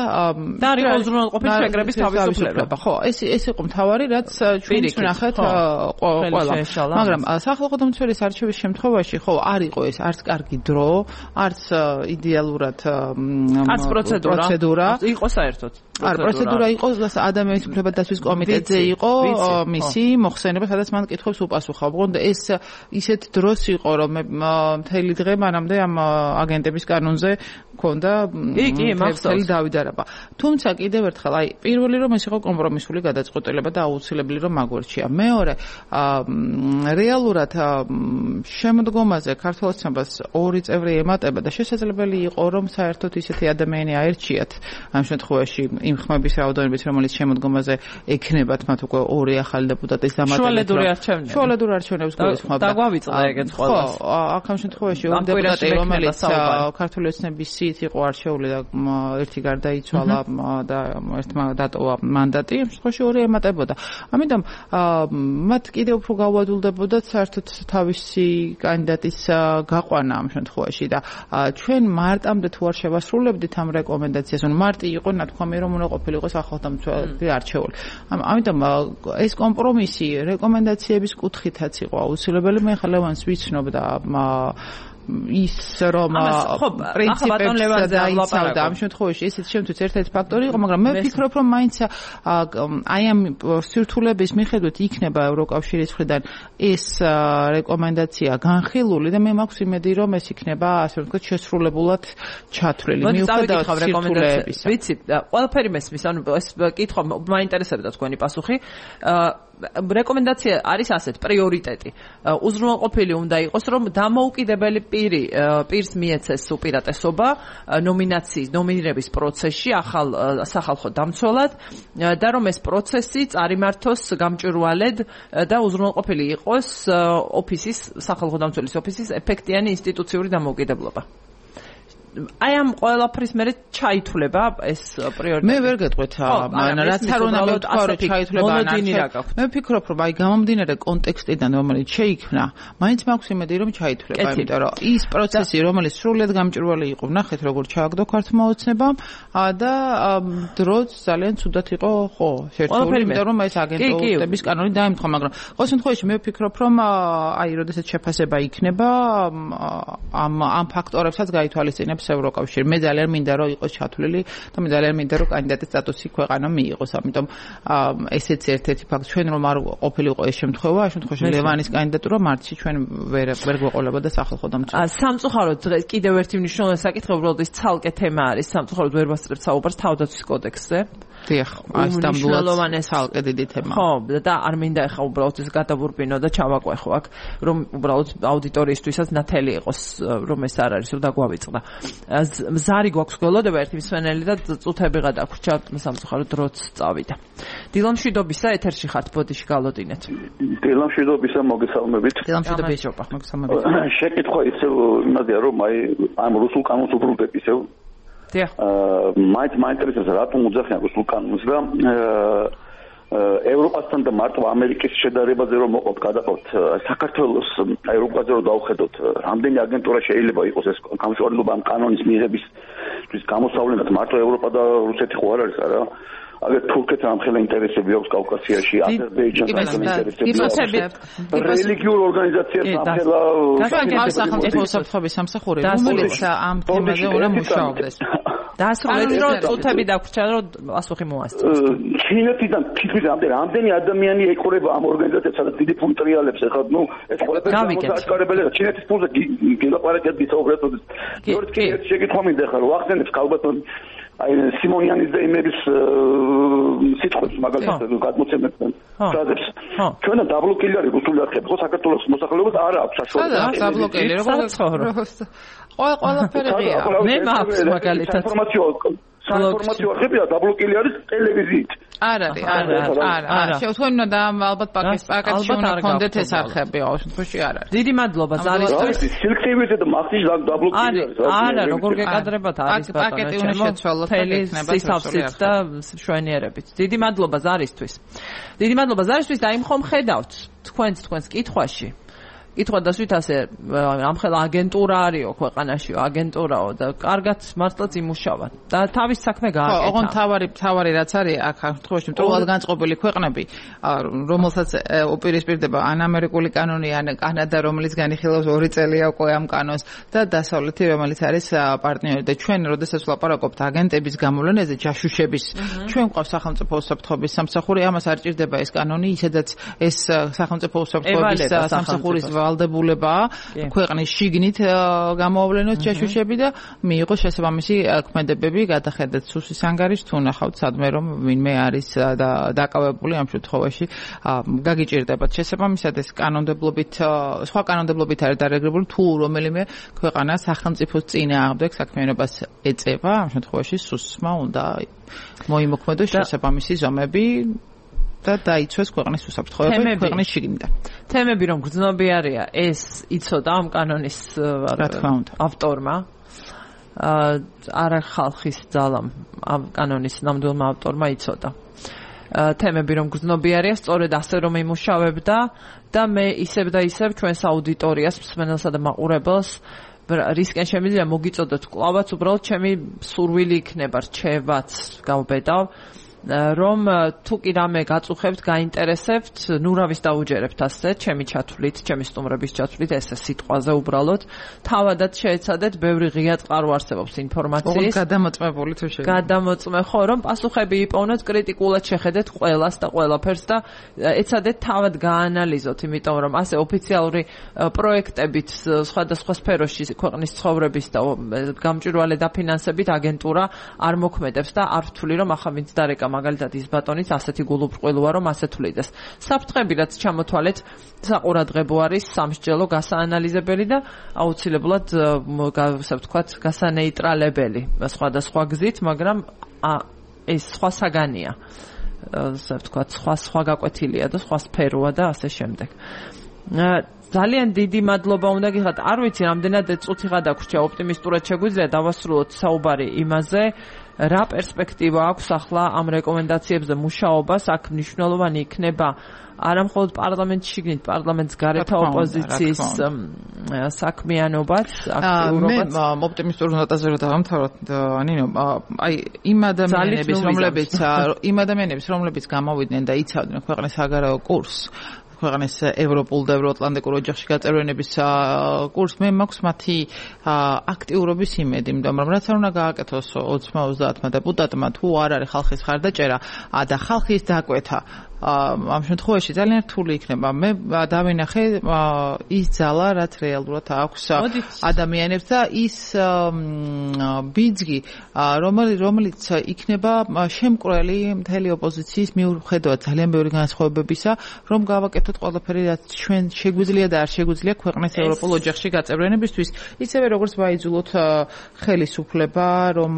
არის უზრუნველყოფის შეკრების თავისუფლება. ხო, ეს იყო მთავარი, რაც ჩვენ ვნახეთ ყველა. მაგრამ სახალხო დამცველის არჩევის შემთხვევაში, ხო, არ იყო ეს არც კარგი დრო, არც იდეალურად არც პროცედურა. იყო საერთოდ. არ პროცედურა იყო ადამიანის უფლებათა დაცვის კომიტეტზე იყო მისი მოხსენება, სადაც მან კითხვებს უპასუხა. ოღონდ ეს ისეთ დროს იყო, რომ მთელი დღე მანამდე ამ აგენტების კანონზე მქონდა მთელი დავიდარება. თუმცა კიდევ ერთხელ, აი, პირველი რომ ეს იყო კომპრომისული გადაწყვეტილება და აუცილებელი რომ აგვერჩია. მეორე, რეალურად შემდგომაზე ქართულ ოცნებას ორი წევრი ემატება და შესაძლებელი იყო რომ საერთოდ ისეთი ადამიანი აერჩიათ ამ შემთხვევაში იმ ხმების რაოდენობით, რომელიც შემდგომაზე ექნებათ მათ უკვე ორი ახალი დეპუტატის დამატებით. შუალედური არჩევნებს გულისხმობდა. დაგვავიწყდა ეგეც ყველას. ხო, აქ ამ შემთხვევაში ორი დეპუტატი, რომელიც ქართული ოცნების სიით იყო არჩეული და ერთი გარდაიცვალა და ერთმა დატოვა მანდატი, ამ შემთხვევაში ორი ემატებოდა. ამიტომ მათ კიდევ უფრო გაუადვილდებოდათ საერთოდ თავისი კანდიდატის გაყვანა ამ შემთხვევაში და ჩვენ მარტამდე თუ არ შევასრულებდით ამ რეკომენდაციას, ანუ მარტი იყო ნათქვამი რომ უნდა ყოფილიყო სახალხოდამცველი არჩეული. ამიტომ ეს კომპრომისი რეკომენდაციების კუთხითაც იყო აუცილებელი. მე ხა ლევანს ვიცნობ და ის რომ პრინციპებს დაიცავდა ამ შემთხვევაში ესეც შემთხვევით ერთ-ერთი ფაქტორი იყო, მაგრამ მე ვფიქრობ რომ მაინც აი ამ სირთულების მიხედვით იქნება ევროკავშირის მხრიდან ეს რეკომენდაცია განხილული და მე მაქვს იმედი რომ ეს იქნება ასე ვთქვათ შესრულებულად ჩათვლილი მიუხედავად სირთულეებისა. ვიცი, ყველაფერი მესმის, ანუ ეს კითხვა მაინტერესებდა თქვენი პასუხი. რეკომენდაცია არის ასეთ პრიორიტეტი. უზრუნველყოფილი უნდა იყოს, რომ დამოუკიდებელი პირს მიეცეს უპირატესობა ნომინირების პროცესში ახალ სახალხო დამცველად და რომ ეს პროცესი წარიმართოს გამჭვირვალედ და უზრუნველყოფილი იყოს ოფისის სახალხო დამცველის ოფისის ეფექტიანი ინსტიტუციური დამოუკიდებლობა. აი ამ ყველაფრის მერე ჩაითვლება ეს პრიორიტეტი. მე ვერ გეტყვით, რაც არ უნდა მეთქვა რომ ჩაითვლება ან არ. მე ვფიქრობ რომ აი გამომდინარე კონტექსტიდან რომელიც შეიქმნა, მაინც მაქვს იმედი რომ ჩაითვლება, იმიტომ რომ ის პროცესი რომელიც სრულიად გამჭვირვალე იყო, ნახეთ როგორ ჩააგდო ქართულმა ოცნებამ და დროც ძალიან ცუდად იყო, ხო, შერჩეული, იმიტომ რომ ეს აგენტების კანონი დაემთხვა, მაგრამ ყოველ შემთხვევაში მე ვფიქრობ რომ აი როდესაც შეფასება იქნება ამ ფაქტორებსაც გაითვალისწინებს იღებს ევროკავშირი. მე ძალიან მინდა რომ იყოს ჩათვლილი და მე ძალიან მინდა რომ კანდიდატის სტატუსი ქვეყანა მიიღოს. ამიტომ ესეც ერთ-ერთი ფაქტი ჩვენ რომ არ ყოფილიყო ეს შემთხვევა, ამ შემთხვევაში ლევანის კანდიდატურა მარტში ჩვენ ვერ გვეყოლებოდა სახალხო დამცველად. სამწუხაროდ დღეს კიდევ ერთი მნიშვნელოვანი საკითხი უბრალოდ ის ცალკე თემა არის. სამწუხაროდ ვერ ვასწრებთ საუბარს თავდაცვის კოდექსზე. დიახ, ეს დამბლოვანე ცალკე დიდი თემა. ხო, და არ მინდა ახლა უბრალოდ ეს გადაბურბინო და ჩავაყვეხო აქ, რომ უბრალოდ აუდიტორიისთვისაც ნათელი იყოს, რომ ეს არ არის, რომ დაგვავიწყდა. ზარი გვაქვს გველოდება ერთი მსმენელი და წუთები გადაგვრჩა, სამწუხაროდ დროც წავიდა. დილამშვიდობისა ეთერში ხართ, ბოდიში გალოდინეთ. დილამშვიდობისა, მოგესალმებით. დილამშვიდობისა, მოგესალმებით. შეკითხვა ისევ იმაზეა, რომ ამ რუსულ კანონს უბრუნდეთ ისევ. დიახ. მაინტერესებს რატომ უძახიან რუსულ კანონს და ევროპასთან და მარტო ამერიკის შედარებაზე რომ მოყავთ გადაყავთ საქართველოს ევროპაზე რომ დავხედოთ რამდენი აგენტურა შეიძლება იყოს ეს გამშვალება ამ კანონის მიღებისთვის გამოსავლენად მარტო ევროპა და რუსეთი ხო არ არის არა აგერ თურქეთს ამხელა ინტერესები აქვს კავკასიაში აზერბაიჯანს ინტერესები აქვს რელიგიურ ორგანიზაციებს ამხელა სახელმწიფო უსაფრთხოების სამსახური რომელიც ამ თემაზე უნდა მუშაობდეს დასრულეთ რომ წუთები დაგვრჩა რომ პასუხი მოასწროს ჩინეთიდან თითქმის რამდენი ადამიანი ეყურება ამ ორგანიზაციებს სადაც დიდი ფული ტრიალებს ეხლა ნუ ეს ყველაფერი გამოაჩქარებელია ჩინეთის ფულზე გილაპარაკეთ ვისაუბრეთ გიორგი შეკითხვა მინდა ხარ ვახსენებს ალბათ აი სიმონიანის და იმების სიტყვებს მაგალითად გადმოცემებთან ფრაზებს ჩვენთან დაბლოკილი არის რუსული არხები ხო საქართველოს მოსახლეობას არ აქვს საშუალება დაბლოკილი ყველაფერია მე მაქვს მაგალითად საინფორმაციო არხებია დაბლოკილი არის ტელევიზიით არ შევთქვენ და ალბათ პაკეტში უნდა გქონდეთ ეს არხები ამ შემთხვევაში არ არის დიდი მადლობა ზარისთვის სელექტივიტეტ და მახსის დაბლოკილი არის არა როგორ გეკადრებათ არის პაკეტი უნდა შეცვალოთ და იქნება სისავსით და შვენიერებით დიდი მადლობა ზარისთვის და იმ ხომ ხედავთ თქვენს კითხვაში კითხვა დასვით ასე ამხელა აგენტურა არისო ქვეყანაშიო აგენტურაო და კარგად მართლაც იმუშავად და თავის საქმე გააკეთა. ოღონდ თავარი რაც არის აქ შემთხვევაში მტრულად განწყობილი ქვეყნები რომელსაც უპირისპირდება ან ამერიკული კანონი ან კანადა რომელიც განიხილავს 2 წელია უკვე ამ კანონს და დასავლეთი რომელიც არის პარტნიორი და ჩვენ როდესაც ვლაპარაკობთ აგენტების გამოვლენაზე ჯაშუშების ჩვენ გვყავს სახელმწიფო უსაფრთხოების სამსახური ამას არ ჭირდება ეს კანონი ისედაც ეს სახელმწიფო უსაფრთხოების სამსახურის ვალდებულება ქვეყნის შიგნით გამოავლენოს ჯაშუშები და მიიღოს შესაბამისი ქმედებები გადახედეთ სუსის ანგარიშს თუ ნახავთ სადმე რომ ვინმე არის დაკავებული ამ შემთხვევაში გაგიჭირდებათ შესაბამისად ეს კანონმდებლობით სხვა კანონმდებლობით არის დარეგლირებული თუ რომელიმე ქვეყანა სახელმწიფოს წინააღმდეგ საქმიანობას ეწევა ამ შემთხვევაში სუსმა უნდა მოიმოქმედოს შესაბამისი ზომები და დაიცვეს ქვეყნის უსაფრთხოება ქვეყნის შიგნიდან. თემები რომ გრძნობიარეა ეს იცოდა ამ კანონის ავტორმა არა ხალხის ძალამ ამ კანონის ნამდვილმა ავტორმა იცოდა. თემები რომ გრძნობიარეა სწორედ ასე რომ იმუშავებდა და მე ისევ და ისევ ჩვენს აუდიტორიას მსმენელსა და მაყურებელს რისკენ შემიძლია მოგიწოდოთ კლავაც უბრალოდ ჩემი სურვილი იქნება რჩევაც გავბედავ რომ თუ კი რამე გაწუხებთ, გაინტერესებთ, ნუ რავის დაუჯერებთ ასე, ჩემი ჩათვლით, ჩემი სტუმრების ჩათვლით, ესე სიტყვაზე უბრალოდ თავადაც შეეცადეთ, ბევრი ღია წყარო არსებობს ინფორმაციის. გადამოწმებული თუ შეიძლება. გადამოწმე ხო, რომ პასუხები იპოვნოთ, კრიტიკულად შეხედეთ ყველას და ყველაფერს და ეცადეთ თავად გაანალიზოთ, იმიტომ რომ ასე ოფიციალური პროექტებით სხვადასხვა სფეროში ქვეყნის ცხოვრების და გამჭვირვალე დაფინანსებით აგენტურა არ მოქმედებს და არ ვთვლი რომ ახლა ვინც დარეკა მაგალითად ის ბატონიც ასეთი გულუბრყვილოა რომ ასე თვლიდეს. საფრთხები რაც ჩამოთვალეთ საყურადღებო არის, სამსჯელო გასაანალიზებელი და აუცილებლად ასე ვთქვათ გასანეიტრალებელი სხვადასხვა გზით, მაგრამ ეს სხვა საგანია. ასე ვთქვათ სხვა გაკვეთილია და სხვა სფეროა და ასე შემდეგ. ძალიან დიდი მადლობა უნდა გიხადოთ. არ ვიცი რამდენად წუთი გადაგვრჩა ოპტიმისტურად შეგვიძლია დავასრულოთ საუბარი იმაზე რა პერსპექტივა აქვს ახლა ამ რეკომენდაციებზე მუშაობას აქ მნიშვნელოვანი იქნება არა მხოლოდ პარლამენტში შიგნით პარლამენტს გარეთ ოპოზიციის საქმიანობაც აქტიურობაც მე ოპტიმისტურ ნოტაზე რომ დავამთავროთ ნინო აი იმ ადამიანების რომლებიც გამოვიდნენ და იცავდნენ ქვეყნის საგარეო კურსს ქვეყნის ევროპულ და ევროატლანტიკურ ოჯახში გაწევრიანების კურსს, მე მაქვს მათი აქტიურობის იმედი, იმიტომ რომ რაც არ უნდა გააკეთოს 20-30 დეპუტატმა, თუ არ არის ხალხის ხარდაჭერა და ხალხის დაკვეთა ამ შემთხვევაში ძალიან რთული იქნება. მე დავინახე ის ძალა, რაც რეალურად აქვს ადამიანებს და ის ბიძგი, რომელიც იქნება შემკვრელი მთელი ოპოზიციის მიუხედავად ძალიან ბევრი განსხვავებებისა, რომ გავაკეთოთ ყველაფერი, რაც ჩვენ შეგვიძლია და არ შეგვიძლია ქვეყნის ევროპულ ოჯახში გაწევრიანებისთვის, ისევე როგორც ვაიძულოთ ხელისუფლება, რომ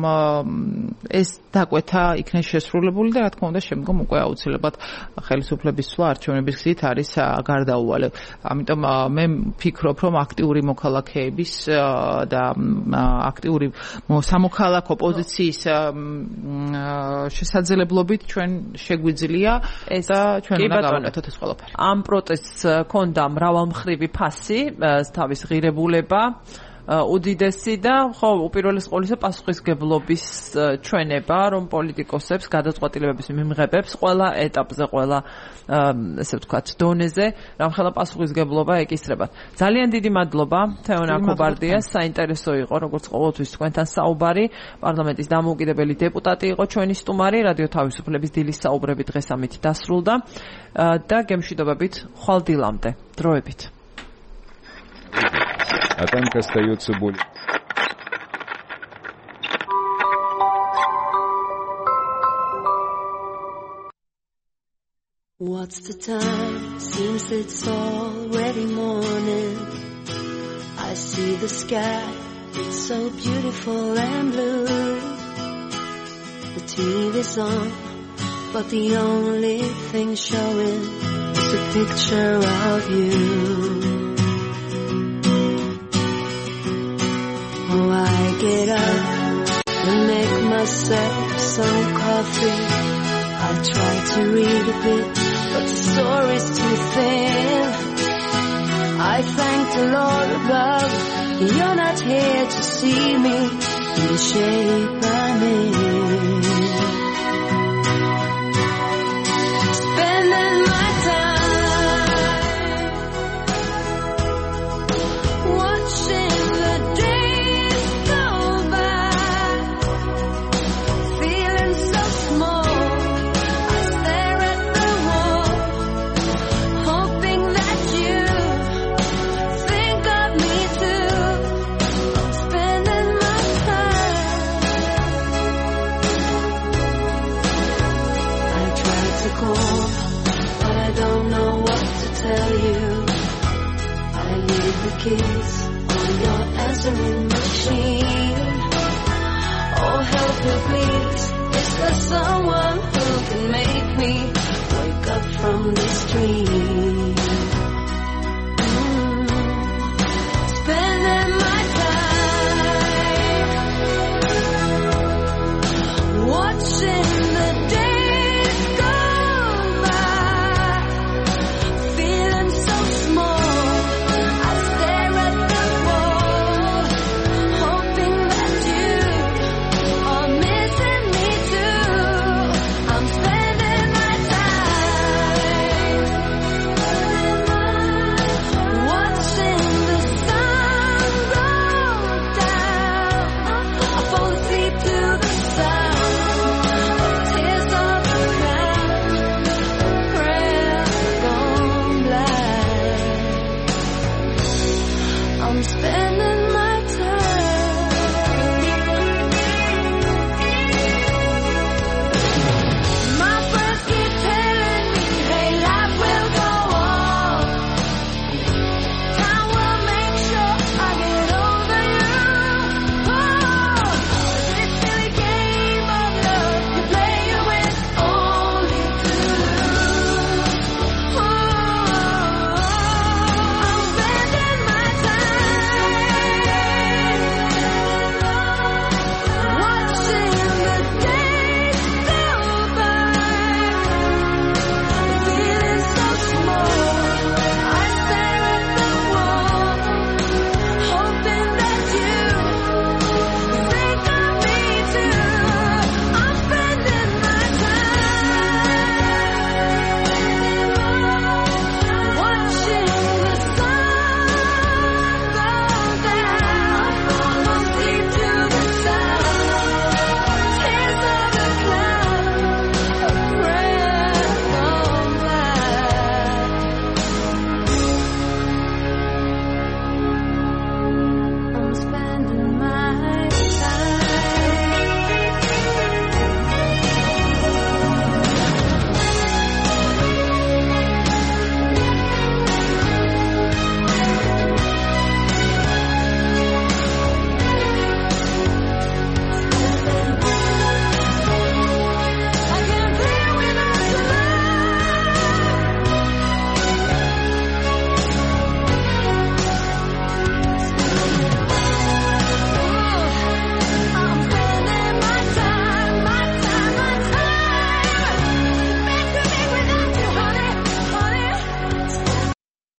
ეს დაკვეთა იქნეს შესრულებული და რა თქმა უნდა შემდგომ უკვე აუცილებლად ხელისუფლების სვლა არჩევნების გზით არის გარდაუვალე. ამიტომ მე ვფიქრობ, რომ აქტიური მოქალაქეების და აქტიური სამოქალაქო პოზიციის შესაძლებლობით ჩვენ შეგვიძლია და ჩვენ უნდა გავაკეთოთ ეს ყველაფერი. ამ პროტესტს ჰქონდა მრავალმხრივი ფასი, თავის ღირებულება უდიდესი და ხო უპირველეს ყოვლისა პასუხისგებლობის ჩვენება, რომ პოლიტიკოსებს გადაწყვეტილებების მიმღებებს ყველა ეტაპზე, ყველა ესე ვთქვათ, დონეზე რამხელა პასუხისგებლობა ეკისრებათ. ძალიან დიდი მადლობა თეონა ქობარდიას, საინტერესო იყო როგორც ყოველთვის თქვენთან საუბარი. პარლამენტის დამოუკიდებელი დეპუტატი იყო ჩვენი სტუმარი, რადიო თავისუფლების დილის საუბრები დღეს ამით დასრულდა და გემშვიდობებით ხვალ დილამდე. დროებით. А танк остается более... What's the time? Seems it's already morning. I see the sky, it's so beautiful and blue. The TV's on, but the only thing showing is a picture of you. Oh, I get up and make myself some coffee. I try to read a bit, but the story's too thin. I thank the Lord above, you're not here to see me in the shape I'm in. Spending my time watching the days go by, feeling so small. I stare at the wall, hoping that you think of me too. Spending my time. I try to call, but I don't know what to tell you. I leave the keys on your answering machine. Oh, help me please, is there someone who can make me wake up from this dream?